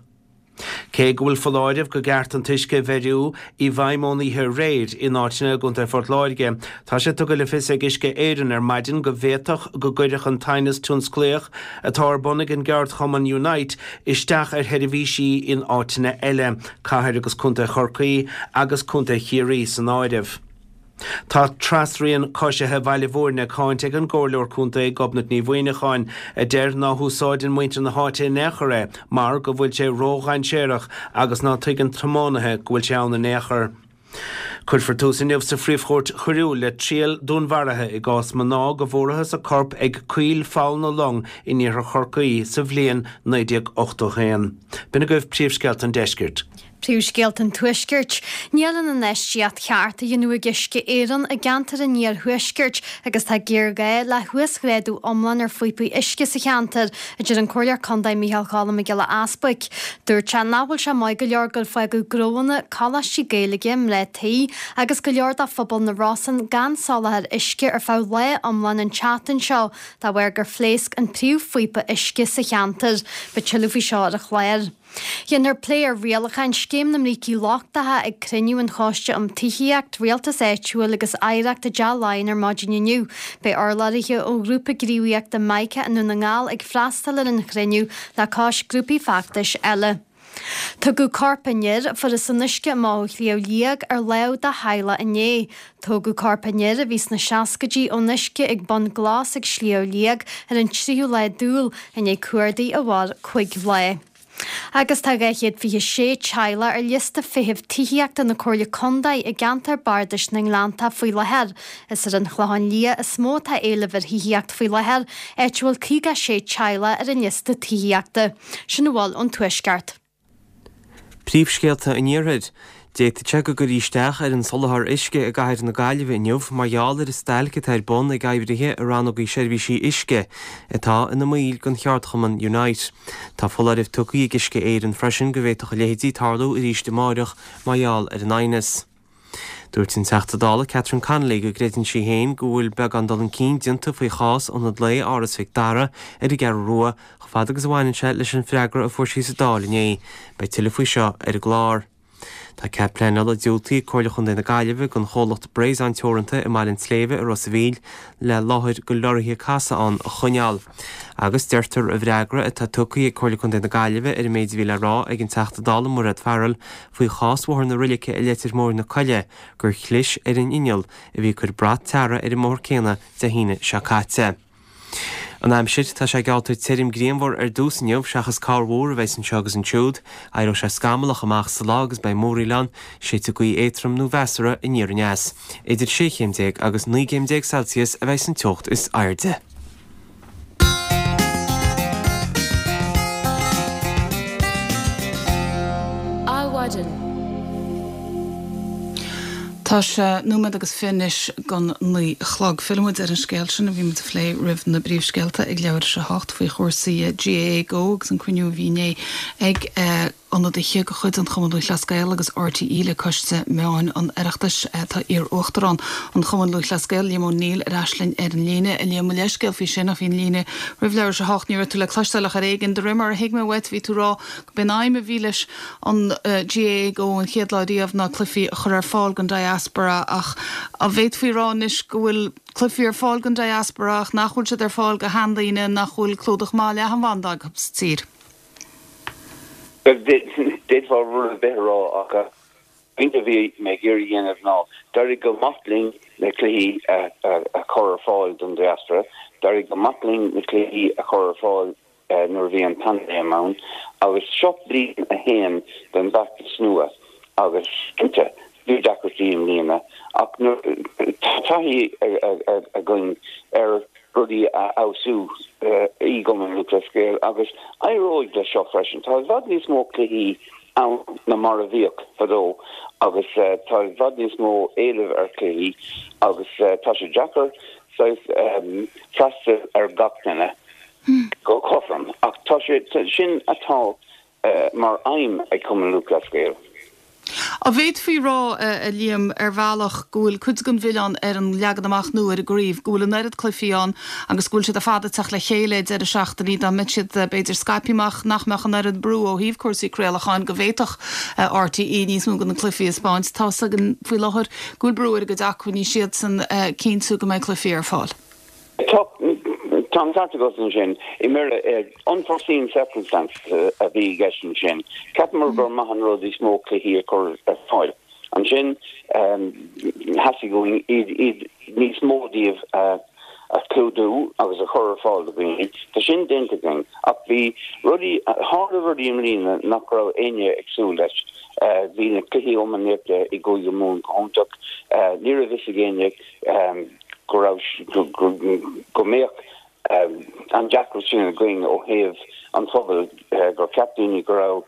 Cé go bhfuil foláireamh go gceart an t-uisce a bheiriú i bhfeidhm ón oíche aréir in áiteanna i gContae Phort Láirge, tá sé tugtha le fios ag Uisce Éireann ar maidin go bhféadfadh go gcuirfeadh an t-aighneas tionsclaíoch atá ar bun ag an gceardchumann Unite isteach ar sheirbhísí in áiteanna eile, cathair agus contae Chorcaí agus contae Chiarraí san áireamh. Tá trasrian coisithe Bhaile Bhúirne cáinte ag an gComhairleoir Contae Gobnait Ní Mhuineacháin, a deir ná húsáideann muintir na háite in aon chor é mar go bhfuil sé ródhainséarach agus ná tuigeann tiománaithe go bhfuil sé ann in aon chor. Cuirfear tús inniu sa Phríomh-Chúirt Choiriúil le triail dúnmharaithe i gcás mná go bhfuarathas a corp ag coill Pholl na Long in iarthar Chorcaí sa bhliain naoi déag ochtó a haon. B'in agaibh príomhscéalta an deiscirt. Príomhscéalta an Tuaiscirt. Níl an infheistíocht cheart á dhéanamh ag Uisce Éireann i gceantar an iarthuaiscirt agus tá géarghá le huasghrádú iomlán ar phíopaí uisce sa cheantar, a deir an Comhairleoir Contae Micheál Cholm Mac Giolla Easbuic. Dúirt sé nach bhfuil sé maith go leor gur fágadh gnóanna, coláistí Gaeilge, mná tí agus go leor de phobal na Rosann gan soláthar uisce ar feadh lá iomlán an tseachtain seo de bharr gur phléasc an príomhphíopa uisce sa cheantar. Beidh tuilleadh faoi seo ar an chlár. Déanfar plé ar rialacháin Scéim na mBrící Lochtacha ag cruinniú an Choiste um Tithíocht, Rialtas Áitiúil agus Oidhreacht i dTeach Laighean ar maidin inniu. Beidh urlabhraithe ó ghrúpa gníomhaíochta Mica i nDún na nGall ag freastal ar an chruinniú le cois grúpaí feachtais eile. Tugadh corp an fhir a fuarthas san uisce amach ó Shliabh Liag ar láimh dá theaghlach inné. Tógadh corp an fhir, a bhí sna seascaidí, ón uisce ag Bun Glas ag Sliabh Liag ar an tríú lá d'Iúil, i ndiaidh cuardaigh a mhair cúig lá. Agus tá dhá chéad fiche sé teaghlach ar liosta feithimh tithíochta na Comhairle Contae i gceantar Bardais na nGleanntach faoi láthair. Is ar an Chlochán Liath is mó atá éileamh ar thithíocht faoi láthair, áit a bhfuil caoga sé teaghlach ar an liosta tithíochta. Sin a bhfuil ón Tuaisceart. Príomhscéalta an Iarthair. D'fhéadfadh sé go gcuirfí isteach ar an soláthar uisce i gcathair na Gaillimhe inniu mar gheall ar an stailc atá ar bun ag oibrithe i rannógaí seirbhísí uisce atá ina mbaill den cheardchumann Unite. Tá foláireamh tugtha ag Uisce Éireann freisin go bhféadfadh a leithéidí tarlú arís amáireach mar gheall ar an aighneas. Dúirt an Teachta Dála Catherine Connolly go gcreideann sí féin go bhfuil beagán dul chun cinn déanta faoi chás Ionad Lae Áras Mhic Dara ar an gCeathrú Rua chomh fada agus a bhaineann sé leis an bhfreagra a fuair sí sa Dáil inné. Beidh tuilleadh faoi seo ar an gclár. Tá cead pleanála diúltaithe ag Comhairle Chontae na Gaillimhe don chomhlacht Bréasáin Teoranta i mBaile an tSléibhe i Ros a' Mhíl le láthair do leoraithe casadh ann a choinneáil. Agus deirtear i bhfreagra atá tugtha ag Comhairle Contae na Gaillimhe ar an méid a bhí le rá ag an Teachta Dála Mairéad Farrell faoi chás Bhóthar na Roilice i Leitir Móir na Coille gur chlis ar an inneall a bhí ag cur brat tarra ar an mbóthar céanna Dé hAoine seo caite. An aimsir, Tá sé geallta tirim grianmhar ar dtús inniu, seachas corrmhúr a bheas anseo agus ansiúd. Éireoidh sé scamallach amach sa lá agus beidh múraíl ann. Séidfidh gaoth éadtrom nó mheasartha aniar aneas. Idir sé chéim déag agus naoi gcéim déag Celsius a bheas an teocht is airde. Adhmhaidin. Tá sé nóiméad agus fiche anois don naoi a chlog. Fillfidh muid ar an scéal sin a bhí muid a phlé roimh na bpríomhscéalta ag leathuair tar éis a hocht faoi chúrsaí GAA Go agus an cruinniú a bhí inné ag ionadaithe de chuid an Chumann Lúthchleas Gael agus RTÉ le Coiste Meáin an Oireachtais. Tá iar-uachtarán an Chumann Lúthchleas Gael, Liam O'Neill, ar ais linn ar an líne. A Liam, mo leithscéal faoi sin ach bhí an líne roimh leathuair tar éis a hocht, ní raibh tú le cloisteáil ach ar éigean. De réir mar a thuig mé uait, bhí tú ag rá go b'in aidhm a bhí leis an GAA Go an chéad lá riamh ná cluichí a chur ar fáil don diaspora ach an bhféadfaí a rá anois go bhfuil cluichí ar fáil don diaspora ach nach bhfuil siad ar fáil do sheandaoine nach bhfuil clúdach maith leathanbhanda acu sa tír? D'fhéadfá rud ar bith a rá ach an pointe a bhí mé ag iarraidh a dhéanamh ná d'éirigh go maith linn na cluichí a chur ar fáil don diaspora, d'éirigh go maith linn na cluichí a chur ar fáil nuair a bhí an paindéim ann agus seo bliain a haon den bhfeachtas nua agus cinnte bhí deacrachtaí i mbliana ach tá taithí againn ar rudaí a fheabhsú i gCumann Lúthchleas Gael agus éireoidh leis seo freisin. Tá i bhfad níos mó cluichí ann ná mar a bhíodh fadó agus tá i bhfad níos mó éilimh ar chluichí agus tá sé deacair saghas freastal ar gach duine. go cothrom, ach tá sé sin atá mar aidhm ag Cumann Lúthchleas Gael. An bhféadfaí a rá, a Liam, ar bhealach go bhfuil cuid den mhilleán ar an leagan amach nua ar an gcraobh, go bhfuil an oiread cluichí ann agus go bhfuil siad ar fad ag teacht le chéile ag deireadh seachtaine, dá mbeadh siad b'fhéidir scaipthe amach nach mbeadh an oiread brú ó thaobh cúrsaí craolacháin, go bhféadfadh RTÉ níos mó de na cluichí a 'spáint. Tá's againn faoi láthair go bhfuil brú ar a gcuid acmhainní siadsan cinntiú go mbeidh cluichí ar fáil. Tá tá an ceart agat ansin. I mBéarla, unforeseen circumstances a bhí i gceist ansin. Cheapamar gur maith an rud níos mó cluichí a chur ar fáil. Ansin, theastaigh uainn iad iad níos mó díobh a a chlúdú agus a chur ar fáil do dhaoine. Tá sin déanta againn. Ach bhí rudaí, tharla rudaí i mbliana nach raibh éinne ag súil leis. Bhí na cluichí iománaíochta i gCúige Mumhan go hiontach. Ní raibh fhios ag éinne go raibh, go mbeadh an deacracht sin againn ó thaobh an phobail, gur cheap daoine go raibh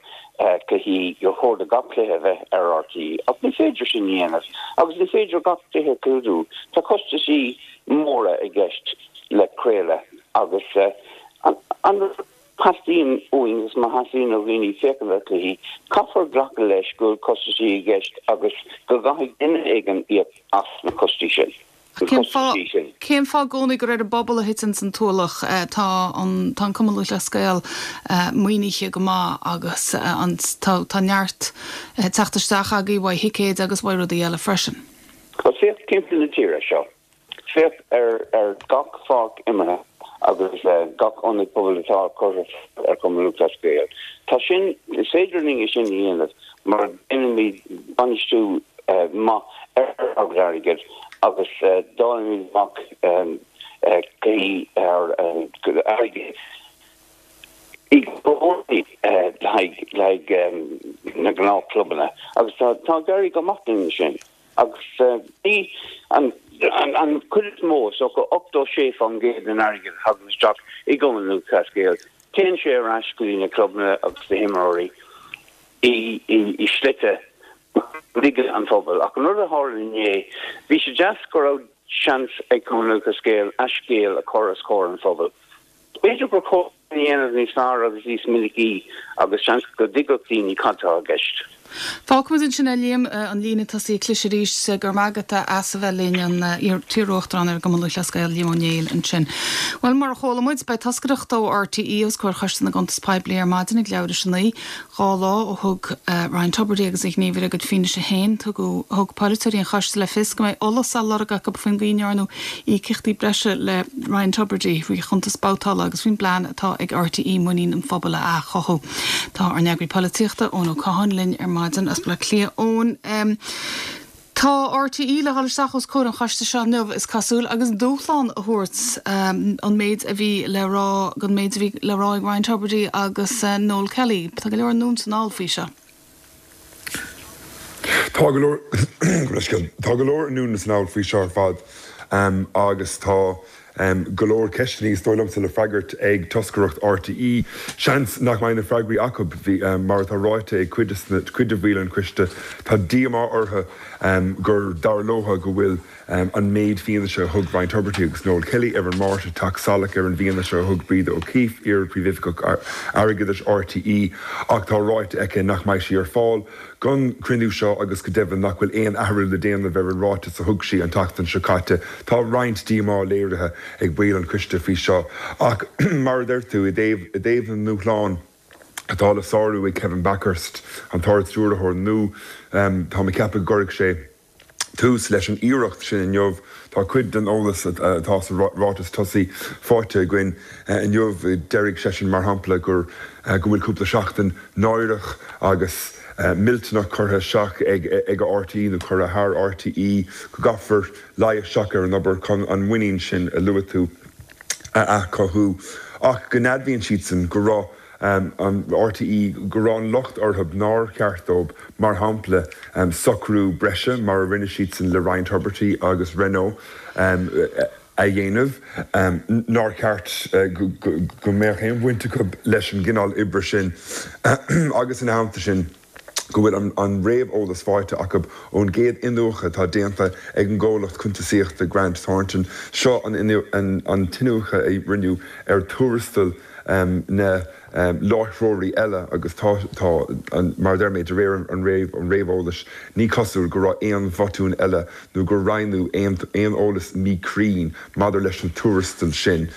cluichí, gur chóir do gach cluiche a bheith ar RTÉ. Ach ní féidir sin a dhéanamh agus ní féidir gach cluiche a chlúdú. Tá costaisí móra i gceist le craoladh agus an rud a theastaíonn uainn agus má theastaíonn ó dhaoine féachaint ar chluichí, caithfear glacadh leis go bhfuil costaisí i gceist agus go gcaithfidh duine éigin íoc as na costaí sin. Cén fáth, cén fáth i gcónaí gur ar an bpobal a thiteann an t-ualach? Tá an, tá an Cumann Lúthchleas Gael maoinithe go maith agus an, tá, tá neart teacht isteach agaibh uaidh thicéid agus uaidh rudaí eile freisin. Bhuel, féach timpeall na tíre seo. Féach ar, ar gach pháirc imeartha agus gach ionad pobail atá curtha ar Chumann Lúthchleas Gael. Tá sin, is féidir linn é sin a dhéanamh mar déanaimid bainistiú maith ar ár gcuid airgid agus dáilimid amach cluichí airgid i gcónaí le haghaidh na ngnáthchlubanna agus tá ag éirí go maith linn sin agus bhí an chuid is mó, is dócha ochtó sé faoin gcéad den airgead a thagann isteach i gCumann Lúthchleas Gael, téann sé ar ais go dtí na clubanna agus na himreoirí i slite dtuigeann an pobal. Ach an rud a tharla inné, bhí sé deas go raibh seans ag Cumann Lúthchleas Gael a scéal a chur os comhair an phobail. B'fhéidir gur chóir é a dhéanamh níos fearr agus níos minicí agus seans go dtuigfeadh daoine cad tá i gceist. Fágfaimid ansin é, Liam, an líne tosaithe ag cliseadh arís. Go raibh maith agat as a bheith linn, an t-iar-uachtarán ar an gCumann Lúthchleas Gael, Liam Ó Néill, ansin. Bhuel, mar a chuala muid, beidh toscaireacht ó RTÉ os comhair Choiste na gCuntas Poiblí ar maidin ag leathuair tar éis a naoi. Dhá lá ó thug Ryan Tubridy agus a ghníomhaire a gcuid fianaise féin, tugadh, thug polaiteoirí an choiste le fios go mbeidh eolas á lorg acu faoin gcaoi a ndearnadh íocaíochtaí breise le Ryan Tubridy, faoi chuntas babhtála agus faoin bplean atá ag RTÉ muinín an phobail a athchothú. Tá ár n-eagraí polaitíochta, Eoin Ó Catháin, linn ar maidin as Baile Átha Cliath. Eoin. Tá RTÉ le dhul isteach os comhair an choiste seo inniu, is cosúil, agus dúshlán a thabhairt an méid a bhí le rá don méid a bhí le rá ag Ryan Tubridy agus Noel Kelly. Tá go leor anonn is anall faoi seo. Tá go leor tá go leor anonn is anall faoi seo ar fad agus tá Go leor ceisteanna, is dóigh liomsa, le freagairt ag toscaireacht RTÉ. Seans nach mbeidh na freagraí acu. Mar atá ráite ag cuid de bhaill an choiste, tá díomá orthu gur dar leo go bhfuil an méid fianaise a thug Ryan Tubridy agus Noel Kelly ar an Máirt ag teacht salach ar an bhfianaise a thug Breda O'Keeffe, iar-Phríomhoifigeach Airgeadais RTÉ, ach tá ráite aici nach mbeidh sí ar fáil don chruinniú seo agus go deimhin nach bhfuil aon athrú le déanamh ar an ráiteas a thug sí an tseachtain seo caite. Tá roinnt díomá léirithe ag baill an choiste faoi seo ach mar a deir tú, i dtaobh na ndúshlán atá le sárú ag Kevin Bakhurst, an tArd-Stiúrthóir nua, tá mé ag ceapadh go gcuirfidh sé tús leis an iarracht sin inniu. Tá cuid den eolas atá sa ráiteas tosaigh faighte againn inniu. Déarfaidh seisean, mar shampla, gur go bhfuil cúpla seachtain náireach agus millteanach curtha isteach ag RTÉ nó curtha thar RTÉ, go gcaithfear luí isteach ar an obair chun an muinín sin a luaigh tú a athchothú ach go n-admhaíonn siadsan go raibh an RTÉ, go raibh an locht orthu nár cheart dóibh, mar shampla, socrú breise mar a rinne siadsan le Ryan Tubridy agus Renault a dhéanamh, nár cheart go mbeadh aon bhaint acu leis an gcineál oibre sin agus ina theannta sin, go bhfuil an réamheolas faighte acu ón gcéad iniúchadh atá déanta ag an gcomhlacht cuntasaíochta Grant Thornton. Seo an t-iniúchadh a rinneadh ar tuarastail na láithreoirí eile agus tá, mar a deir mé, de réir an réamheolais, ní cosúil go raibh aon bhotún eile nó gur roinneadh aon eolas míchruinn maidir leis na tuarastail sin.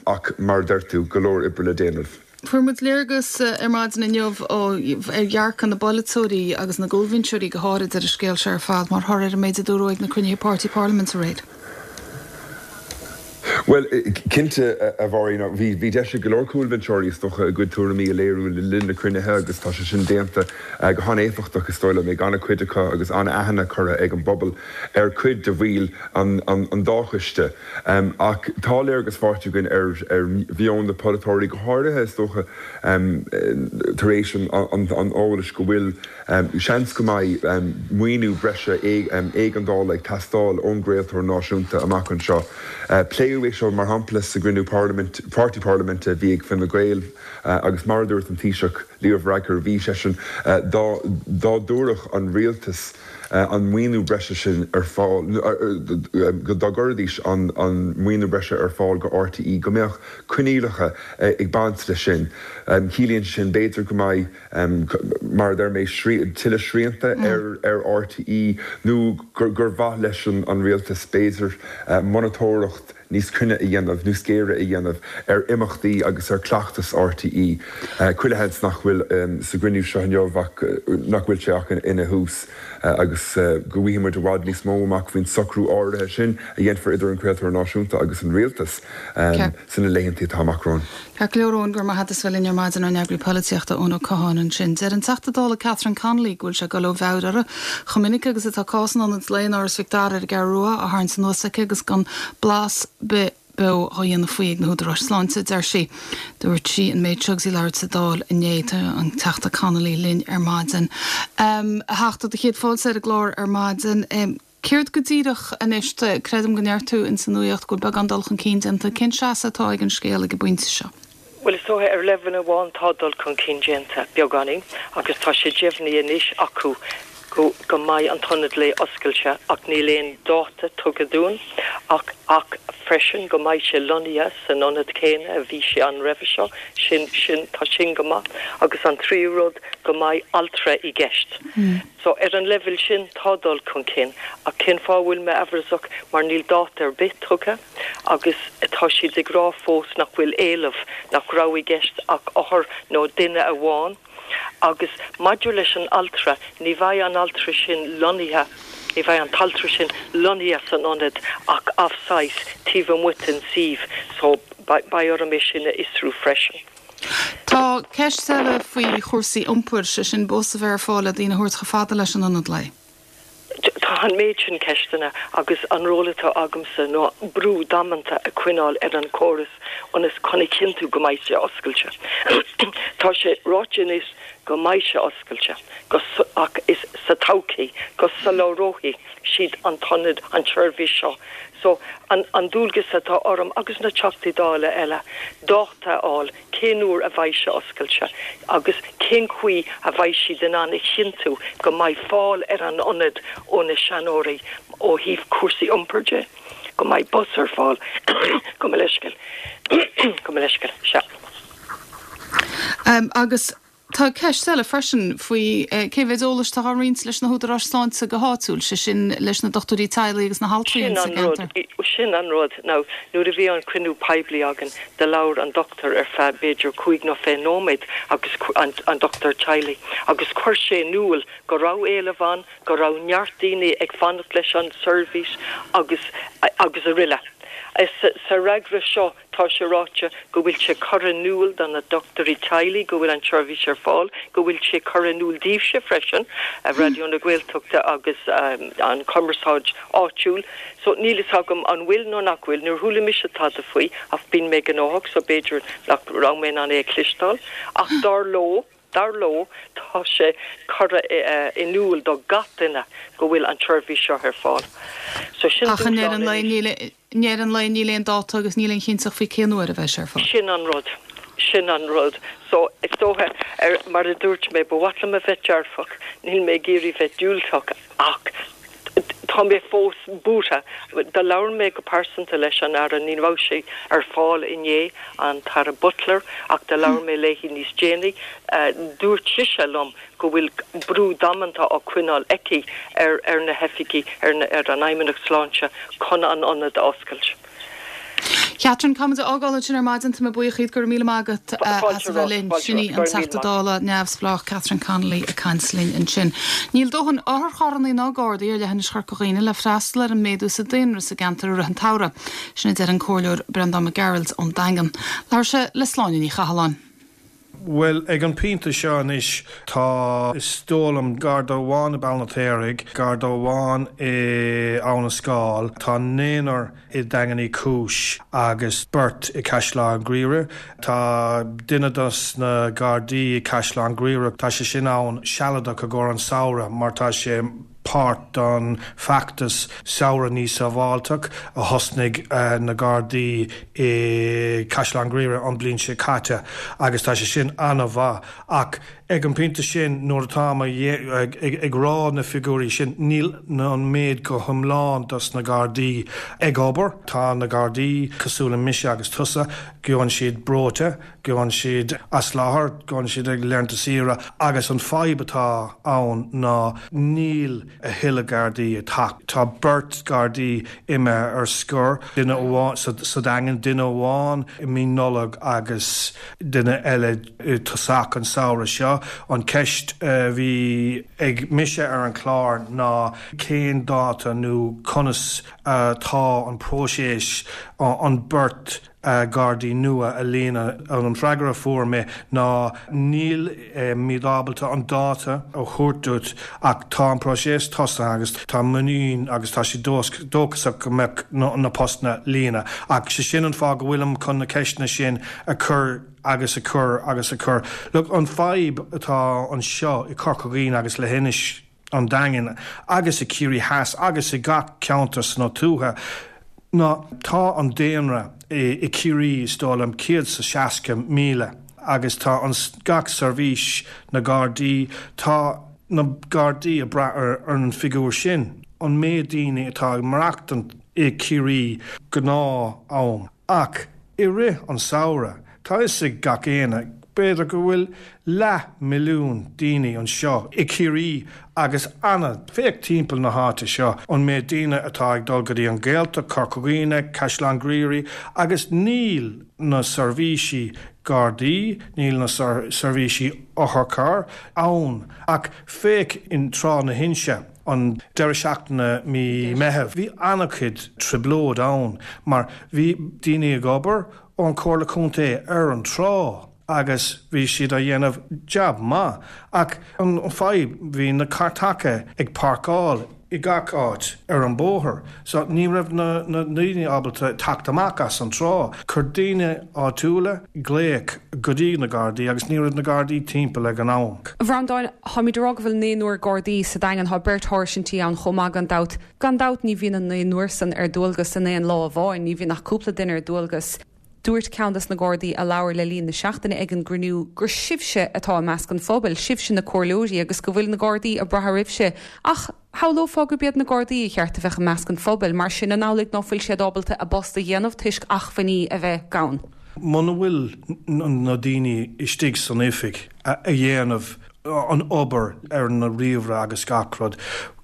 Ach mar a deir tú, go leor oibre le déanamh. Fuair muid léargas ar maidin inniu ar dhearcadh na bpolaiteoirí agus na gcúlbhinseoirí go háirid ar an scéal seo ar fad mar thoradh ar an méid a dúradh ag na cruinnithe páirtí parlaiminte aréir. Bhuel, cinnte, a Mháirín, bhí deis ag go leor cúlbhinseoirí, is dócha, a gcuid tuairimí a léiriú le linn na cruinnithe agus tá sé sin déanta go han-éifeachtach, is dóigh liom, ag an-chuid acu agus an-aithne curtha ag an bpobal ar chuid de bhaill an dá choiste. Ach tá léargas faighte againn ar mheon na polaiteoirí, go háirithe, is dócha, tar éis an eolais go bhfuil seans go mbeidh maoiniú breise éigeandála ag teastáil ón gcraoltóir náisiúnta amach anseo. Pléadh é seo, mar shampla, sa gcruinniú páirtí parlaiminte a bhí ag Fine Gael agus mar a dúirt an Taoiseach, Leo Varadkar, bhí seisean, dá dtabharfadh an rialtas an maoiniú breise sin ar fáil, dá gcuirfidís an maoiniú breise ar fáil go RTÉ, go mbeadh coinníollacha ag baint leis sin. Ciallaíonn sin, b'fhéidir, go mbeidh, mar a deir mé, tuilleadh srianta ar RTÉ nó gur mhaith leis an rialtas, b'fhéidir, monatóireacht níos cruinne a dhéanamh, níos géire a dhéanamh ar imeachtaí agus ar chleachtas RTÉ. Chuile sheans nach bhfuil sa gcruinniú seo inniu ach nach bhfuil sé ach ina thús agus go bhfaighidh muid i bhfad níos mó amach faoin socrú áirithe sin a dhéanfar idir an craoltóir náisiúnta agus an rialtas sna laethanta atá amach romhainn. Ceart go leor, Eoin, go raibh maith agat as bheith linn ar maidin, ár n-eagraí polaitíochta Eoin Ó Catháin ansin. Deir an Teachta Dála Catherine Connolly go bhfuil sé ag dul ó mheabhair uirthi chomh minic agus atá cás an Ionaid Lae in Áras Mhic Dara ar an gCeathrú Rua á tharraingt anuas aici agus gan blas bith beo á dhéanamh faoi ag na húdaráis sláinte, a deir sí. Dúirt sí an méid seo agus í ag labhairt sa Dáil inné. Tá an Teachta Connolly linn ar maidin. A Theachta, do chéad fáilte ar an gclár ar maidin. Céard go díreach anois, creidim go ndeir tú ins an nuacht go bhfuil beagán dul chun cinn déanta. Cén seasamh atá ag an scéal ag an bpointe seo? Bhuel, is dócha, ar leibhéal amháin tá dul chun cinn déanta, beagáinín, agus tá sé deimhnithe anois acu go go mbeidh an t-ionad lae oscailte ach níl aon dáta tugtha dúinn ach ach freisin go mbeidh sé lonnaithe san ionad céanna a bhí sé ann roimhe seo, sin sin tá sin go maith. Agus an tríú rud go mbeidh altra i gceist. So ar an leibhéal sin tá dul chun cinn ach cén fáth a bhfuil mé amhrasach mar níl dáta ar bith tugtha agus tá siad ag rá fós nach bhfuil éileamh, nach raibh i gceist ach othar nó duine amháin agus maidir leis an altra ní bheidh an altra sin lonnaithe, ní bheidh an t-altra sin lonnaithe san ionad ach off-site taobh amuigh den suíomh so beidh orm é sin a fhiosrú freisin. Tá ceist eile faoi chúrsaí iompair, sé sin bus a bheith ar fáil le daoine a thabhairt chomh fada leis an ionad lae. Tá an méid sin ceisteanna agus an ról atá agamsa ná brú damanta a choinneáil ar an chóras ionas chun a chinntiú go mbeidh sé oscailte. Tá sé ráite anois go mbeidh sé oscailte go ach is sa todhchaí go soláthróidh siad an t-ionad, an tseirbhís seo. So an, an dualgas atá orm agus na Teachtaí Dála eile, dáta a fháil cén uair a bheidh sé oscailte agus cén chaoi a bheidh siad in ann a chinntiú go mbeidh fáil ar an ionad ó na seanóirí ó thaobh cúrsaí iompair de, go mbeidh bus ar fáil gabh mo leithscéal gabh mo leithscéal sea. Um, agus tá ceist eile freisin faoi eh, cé mhéad eolais atá á roinnt leis na húdaráis sláinte go háitiúil, sé sin leis na dochtúirí teaghlaigh agus na haltraí Sin sa an rud gceantar. sin an rud now nuair a bhí an cruinniú poiblí againn do labhair an doctor ar feadh b'fhéidir cúig nó fiche nóiméad agus an, an doctor teaghlaigh agus chuir sé in iúl go raibh éileamh ann go raibh neart daoine ag fanacht leis an seirbhís agus agus araile. Sa sa fhreagra seo tá sé ráite go bhfuil sé curtha in iúl do na dochtúirí teaghlaigh go bhfuil an tseirbhís ar fáil, go bhfuil sé curtha in iúl daoibhse freisin a Raidió na Gaeltachta agus um, an cumarsáid áitiúil. So níl a fhios agam an bhfuil nó nach bhfuil, níor chuala mise tada faoi ach bíonn mé gnóthach so b'fhéidir nach raibh mé an é cloisteáil, ach dar leo dar leo tá sé curtha in iúl do gach duine go bhfuil an tseirbhís seo ar fáil. So sin Ach an dúshlán an le anois. níl an le níl aon dáta agus níl aon chinnteacht faoi cén uair a bheidh sé ar fáil. Sin an rud. Sin an rud. So is dócha ar mar a dúirt mé ba mhaith liom a bheith dearfach, níl mé ag iarraidh bheith diúltach ach tá mé fós buartha do labhair mé go pearsanta leis an Aire ní raibh sé ar fáil inné an tAire Butler ach do labhair mé léi níos déanaí uh, dúirt sise liom go bhfuil brú damanta á choinneáil aici ar ar na hoifigigh ar, na, ar an Fheidhmeannacht Sláinte chun an ionad a oscailt. Catherine Caimid ágáil sin ar maidin tá mé buíoch go raibh míle maith agat as a bheith linn sin í an Teachta Dála neamhspleách Catherine Connolly ag caint linn ansin. Níl dóthain otharcharranna ná gardaí ar leithinis Chorca Dhuibhne le freastal ar an méadú sa daonra sa gceantar i rith an tsamhraidh. Sin a deir an Comhairleoir Breandán Mac Gearailt ón Daingean. Labhair sé le Sláine Ní Chathalláin. Well ag an bpointe seo anois tá is dóigh liom Garda amháin i Béal an Fheirtéaraigh, Garda amháin i Abhainn an Scáil, tá naonúr i Daingean Uí Chúis agus beirt i Caisleán Ghriaire. Tá duine dos na Gardaí i Caisleán Ghriaire, tá sé sin ann sealadach i gcomhair an samhradh mar tá sé páirt don feachtas samhradh níos sábháilte a thosnaigh uh, na Gardaí i Caisleán Ghriaire an bhliain seo caite agus tá sé sin an-mhaith ach ag an bpointe sin nuair atá ag, ag, ag rá na figiúirí sin níl an méid go hiomlán dos na Gardaí ag obair tá na Gardaí cosúil le mise agus tusa gabhann siad breoite, gabhann siad as láthair, gabhann siad ag laethanta saoire agus an fadhb atá ann ná níl a thuilleadh Gardaí atá. Tá beirt Gardaí imithe ar scor duine amháin sa, sa Daingean duine amháin i mí Nollag agus duine eile i tosach an samhradh seo. An ceist uh, bhí ag mise ar an chlár ná cén dáta nó conas atá uh, an próiseas uh, an beirt uh, Gardaí nua a líonadh an freagra fuair mé ná níl uh, mé ábalta an dáta a thabhairt duit ach tá an próiseas tosaithe agus tá muinín agus tá sé dóchasach go mbeidh na, na postanna líonta ach sé sin an fáth go bhfuilim chun na ceisteanna sin a chur agus a chur agus a chur. Look an fadhb atá anseo i Corca Dhuibhne agus leithinis an Daingin agus i Ciarraí Theas agus i gach ceantar sna tuaithe. Ná tá an daonra i, i Ciarraí is dóigh liom céad sa seasca míle agus tá an gach seirbhís na Gardaí tá na Gardaí ag brath ar, ar an figiúr sin. An méid daoine atá ag maireachtaint i Ciarraí gnáth-am. Ach i rith an samhradh, tá is ag gach éinne b'fhéidir go bhfuil leath milliún daoine anseo i Ciarraí agus anna féach timpeall na háite seo an méid daoine atá ag dul go dtí an Ghaeltacht Corca Dhuibhne, Caisleán Ghriaire agus níl na seirbhísí Gardaí, níl na seirbhísí otharcharr ann ach féach in Trá na hInse an deireadh seachtaine mí Meitheamh. Bhí an-chuid trioblóid ann mar bhí daoine ag obair ón Chomhairle Contae ar an trá. agus bhí siad á dhéanamh jab maith ach an fadhb bhí na cartacha ag páirceáil i gach áit ar an bóthar. So ní raibh na na daoine ábalta teacht amach as an trá. Chuir daoine áitiúla glaoch go dtí na Gardaí agus ní raibh na Gardaí timpeall ag an am. A Bhreandáin, táimid ag rá go bhfuil naonúr Gardaí sa Daingean, tá beirt sháirsintí ann chomh maith gan dabht. Gan dabht ní bhíonn an naonúr san ar dualgas in aon lá amháin, ní bhíonn ach cúpla duine ar dualgas. Dúirt ceann des na Gardaí a labhair le linn na seachtaine ag an gcruinniú gur sibhse atá i measc an phobail, sibhse na comhairleoirí agus go bhfuil na Gardaí ag brath oraibhse. Ach shamhlófá gurb iad na Gardaí ba cheart a bheith i measc an phobail, mar sin an amhlaidh ná fuil siad ábalta a bpost a dhéanamh toisc acmhainní a bheith gann? Muna bhfuil na daoine istigh san oifig a dhéanamh an obair ar na ríomhaire agus gach rud,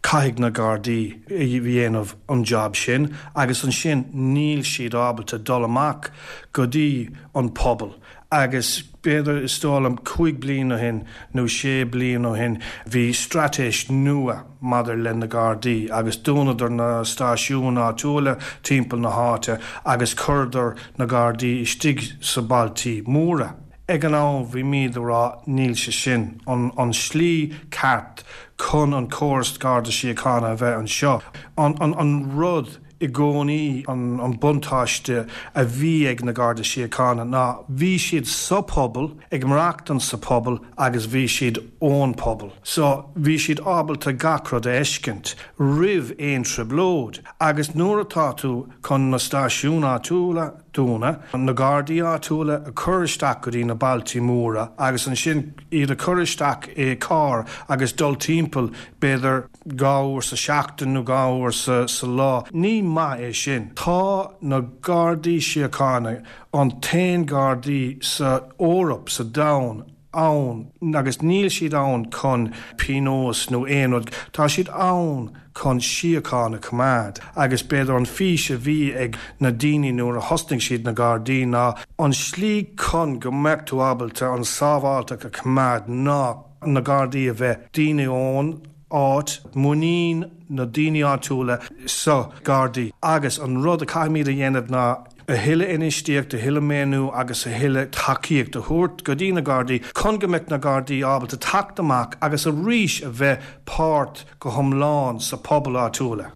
caithfidh na Gardaí a dhéanamh an job sin agus ansin níl siad ábalta dul amach go dtí an pobal agus b'fhéidir is dóigh liom cúig bliain ó shin nó sé bliain ó shin bhí straitéis nua maidir le na Gardaí agus dúnadar na stáisiúin áitiúla timpeall na háite agus chuireadar na Gardaí istigh sa bailtí móra. Ag an am bhímid ag rá níl sé sin an an slí ceart chun an córas Garda Síochána a bheith anseo. An an an rud i gcónaí an an buntáiste a bhí ag na Garda Síochána ná bhí siad sa pobal, ag maireachtaint sa pobal agus bhí siad ón pobal. So bhí siad ábalta gach rud a fheiscint roimh aon trioblóid agus nuair atá tú chun na stáisiúin áitiúla dúnadh, na Gardaí áitiúla a chur isteach go dtí na bailtí móra agus ansin iad a chur isteach i carr agus dul timpeall b'fhéidir dhá uair sa seachtain nó dhá uair sa sa lá. Ní maith é sin. Tá na Gardaí Síochána an t-aon Gardaí sa Eoraip, sa domhan, ann agus níl siad ann chun pionós nó aon rud, tá siad ann chun síocháin a choimeád agus b'fhéidir an fís a bhí ag na daoine nuair a thosnaigh siad na Gardaí ná an slí chun go mbeadh tú ábalta an sábháilteacht a choimeád ná na Gardaí a bheith daoine ón áit, muinín na daoine áitiúla sa Gardaí agus an rud a caithfimid a dhéanamh ná a thuilleadh infheistíocht, a thuilleadh maoiniú agus a thuilleadh tacaíocht a thabhairt go dtí na Gardaí chun go mbeadh na Gardaí ábalta teacht amach agus arís a bheith páirt go hiomlán sa pobal áitiúla.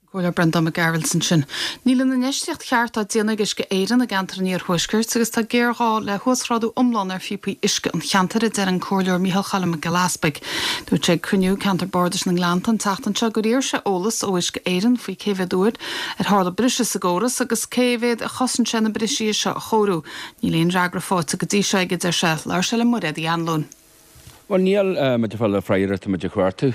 Comhairleoir Breandán Mac Gearailt ansin. Níl an infheistíocht cheart á déanamh ag Uisce Éireann i gceantar an Iarthuaiscirt agus tá géarghá le huasghrádú iomlán ar phíopaí uisce an cheantair, a deir an Comhairleoir Micheál Choilm Mac Giolla Easpaig. Dúirt sé ag cruinniú ceantar bardais na nGleannta an tseachtain seo gur iarr sé eolas ó Uisce Éireann faoi cé mhéad uair ar tharla briseadh sa gcóras agus cé mhéad a chosain sé na brisí seo a chóiriú. Níl aon fhreagra faighte go dtí seo aige, deir sé. Labhair sé le Mairéad Uí Anluain. Bhuel níl muid ag fáil freagra atá muid ag cuartú.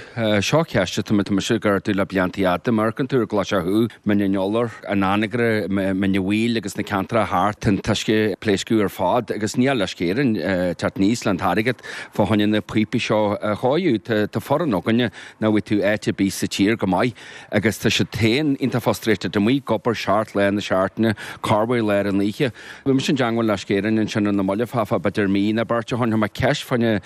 Seo ceist atá muid mise ag ardú le blianta fhada. Má amharcann tú ar an gClais Thuaidh, Mín an Iolair, an Anagaire, Mín an Mhaoil agus na ceantracha thart, tá an t-uisce ag pléascadh ar fad agus níl Uisce Éireann ag teacht aníos le an t-airgead fá choinne na píopaí seo a chóiriú. Tá foireann againne nach bhfaighidh tú áit ar bith sa tír go maith agus tá siad féin iontach frustrated amuigh ag obair seacht lá na seachtaine, corruair lár an oíche. Bhí mise i dteangmháil le Uisce Éireann ansin ar na mallaibh fá b'fhéidir mí nó beirt ó shin, chuir mé ceist fá choinne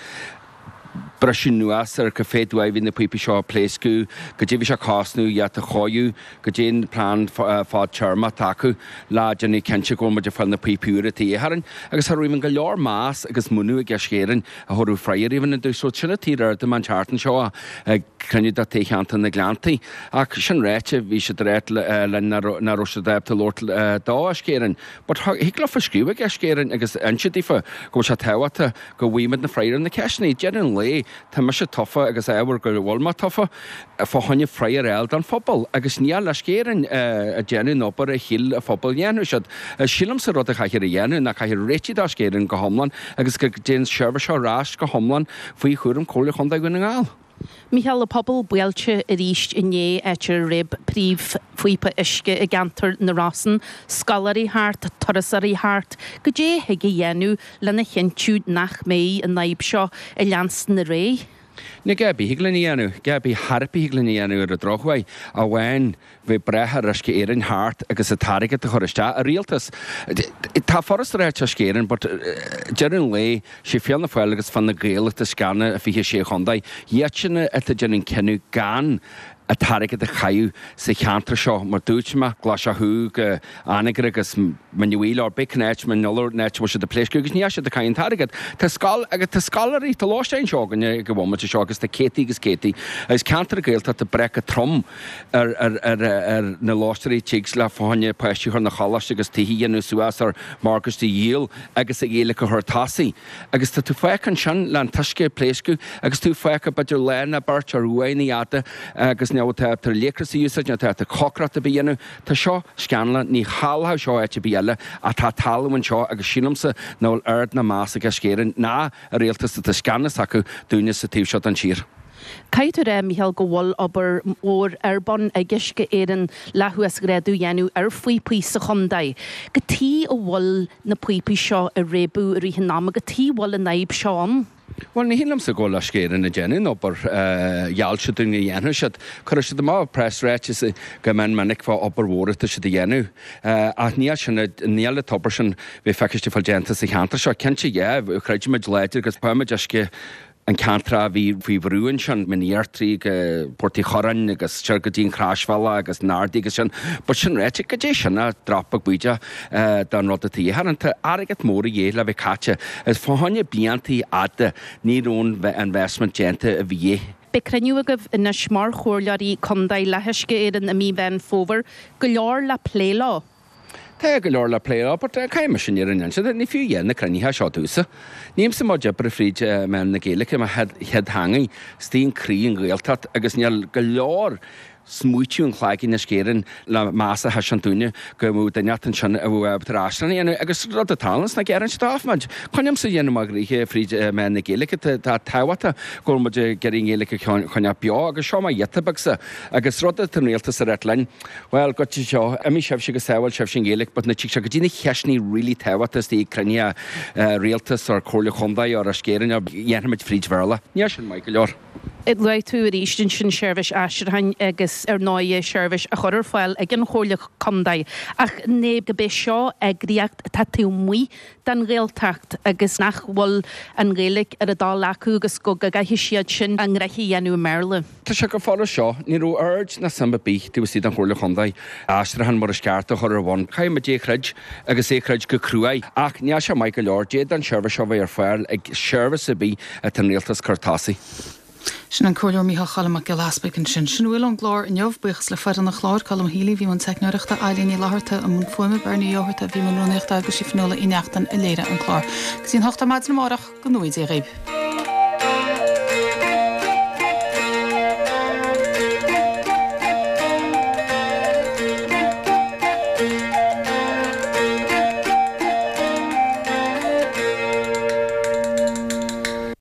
briseadh anuas ar cá mhéad uair a bhí na píopaí seo ag pléascadh, goidé bhí sé ag cosnú iad a chóiriú, goidé an plean fadtéarmach atá acu le déanamh cinnte go bhfuil muid ag fáil na píopaí úra atá de dhíth orainn. Agus cha raibh go leor meas agus múineadh ag Uisce Éireann a thabharfadh freagra even an dtús. So sin an taobh ar an tseachtain seo ag cruinniú de Cheantar na nGleanntaí. Ach sin ráite, bhí siad ag ráit linn nach raibh siad ábalta labhairt do Uisce Éireann. But thig leofa scríobh ag Uisce Éireann agus inse daofa go bhfuil sé tábhachtach go bhfaighimid na freagra ar na ceisteanna. Deireadh an lae, tá mise tofa agus ábhar go bhfuil mé tofa fá choinne freagra a fháil don phobal agus níl Uisce Éireann ag déanamh an obair a shíl an phobal dhéanfadh siad. Sílimse rud a chaithfear a dhéanamh ná caithfear réitigh d'Uisce Éireann go hiomlán agus go dtéann seirbhís seo ar ais go hiomlán faoi chúram Chomhairle Chontae Dhún na nGall. Micheál, an pobal buailte arís inné áit ar réab príomhphíopa uisce i gceantar na Rosann, scoláirí thart, turasóirí thart, goidé a thig a dhéanamh lena chinntiú nach mbeidh an fhadhb seo ag leanstan ar aghaidh. Ní gá bith thig linn a dhéanamh, gá bith thar bith thig linn a dhéanamh ar an drochuair, amháin bheith breá ar Uisce Éireann thart agus an t-airgead a chur isteach. A rialtas, tá foras ráite Uisce Éireann but deireadh an lae, sé Fianna Fáil agus Fine Gael atá i gceannas i fiche sé chontae. Iadsan atá déanamh cinneadh gan an t-airgead a chaitheamh sa cheantar seo mar dúirt mé, Glaise Thuaidh go Anagaire agus Mín an Mhaoil or bith cén áit, Mín Fhiolar, an áit a bhfuil siad ag pléascadh agus níl siad ag caitheamh an t-airgead. Tá scoil agus tá scoláirí, tá lóistín anseo againne ag an bhomaite seo agus tá céadtaí agus céadtaí agus ceantar Gaeltachta breac go trom ar ar ar ar na lóistéirí tig le fá choinne páistí a chur 'na choláiste agus tithe a dhéanamh suas or morgáistí a dhíol agus an Ghaeilge a chur tosaigh. Agus tá tú fágtha ansin le an t-uisce ag pléascadh agus tú fágtha b'fhéidir lá nó beirt ar uaigheanna fhada agus ní tá tú leictreachas a úsáid, ní tá tú cócaireacht ar bith a dhéanamh. Tá seo scannalach, ní tharlódh seo áit ar bith eile ach tá talamh anseo agus sílimse nach bhfuil aird ná meas ag Uisce Éireann ná an rialtas atá scannas acu dúinne sa taobh seo den tír. Caithfidh tú a rá, Micheál, go bhfuil obair mhór ar bun ag Uisce Éireann le huasghrádú a dhéanamh ar phíopaí sa chontae. Cad chuige a bhfuil na píopaí seo ag réabadh i rith an ama, cad chuige a bhfuil an fhadhb seo ann? Bhuel, ní hin liomsa go bhfuil Uisce Éireann ag déanamh an obair gheall siad dúinn go dhéanfadh siad. Cuirfidh siad amach preasráiteas go mion minic fá obair mhór atá siad a dhéanamh. Ach níl sin, níl an t-obair sin bheith feiciste fáil déanta sa cheantar seo. Cinnte, yeah, creidimid láidir agus fuair uisce an ceantar a bhí faoi bhrú ansin, Mín Fheartraí go Port Uí Churráin agus siar go dtí an Chroisbhealach agus na hArdaí agus sin. But sin ráite, goidé sin ach drop beag bídeach don rud atá de dhíth orainn. Tá airgead mór a dhíth le bheith caite is fá choinne bliantaí fhada ní raibh an investment déanta a bhí de dhíth. Beidh cruinniú agaibh anois mar chomhairleoirí contae le hUisce Éireann i mí Mheán Fómhair. Go leor le plé leo. Tá go leor le plé leo, but caithfidh mise an fhírinne a inse duit, ní fiú a dhath na cruinnithe seo domhsa. Nílimse mo chuid oibre fríd meán na Gaeilge, mo chéad theangaidh, istigh in croí an Ghaeltacht agus níl go leor smaoitiú an chloiginn Uisce Éireann le meas a thaispeáint dúinne go mbeadh duine inteacht ansin a bheadh ábalta ar aistriúchán a dhéanamh agus rud atá ann sna gearáin seo muid. Coinnímse a dhéanamh mo ghnoithe fríd meán na Gaeilge, tá tábhachtach go bhfuil muid ag iarraidh an Ghaeilge a choinneáil beo agus seo mo ghiota beagsa agus rud atá an rialtas ag ráit linn, bhuel, go dtí seo, imigh sibhse go sábháil sibhse an Ghaeilge but nuair a tig sé go dtí na ceisteanna really tábhachtach istigh ag cruinnithe rialtas or Comhairle Chontae or Uisce Éireann dhéanfaimid fríd Bhéarla. Níl sin maith go leor. Luaigh tú arís ansin seirbhís aistriúcháin agus ar ndóigh seirbhís a chur ar fáil ag an Chomhairle Contae ach ní go b'é seo eagraíocht atá taobh amuigh den Ghaeltacht agus nach bhfuil an Ghaeilge ar a dtoil acu agus go gcaithfidh siad sin a ngnoithe a dhéanamh i mBéarla. Tá sé go fóill seo, ní raibh aird ná suim ar bith taobh istigh den Chomhairle Chontae aistriúchán mar is ceart a chur ar bun. Caithfidh muid é a chreid agus é a chreid go cruaidh ach níl sé maith go leor. D'fhéadfadh an seirbhís seo bheith ar fáil ag seirbhís ar bith atá an rialtas cur tosaigh. Sin an Comhairleoir Mícheál Choilm Mac Giolla Easpaig ansin. Sin a bhfuil ón gclár inniu. Buíochas le foireann an chláir, Colm Healy, bhí i mbun teicneoireachta, Eilín Ní Fhlatharta i mbun fuaime, Bernie Ó hEorta, bhí i mbun rúnaíochta agus sí Fionnuala Uí Neachtain a léirigh an clár. Go dtí an hocht ar maidin amárach, go ngnóthaí Dia dhaoibh.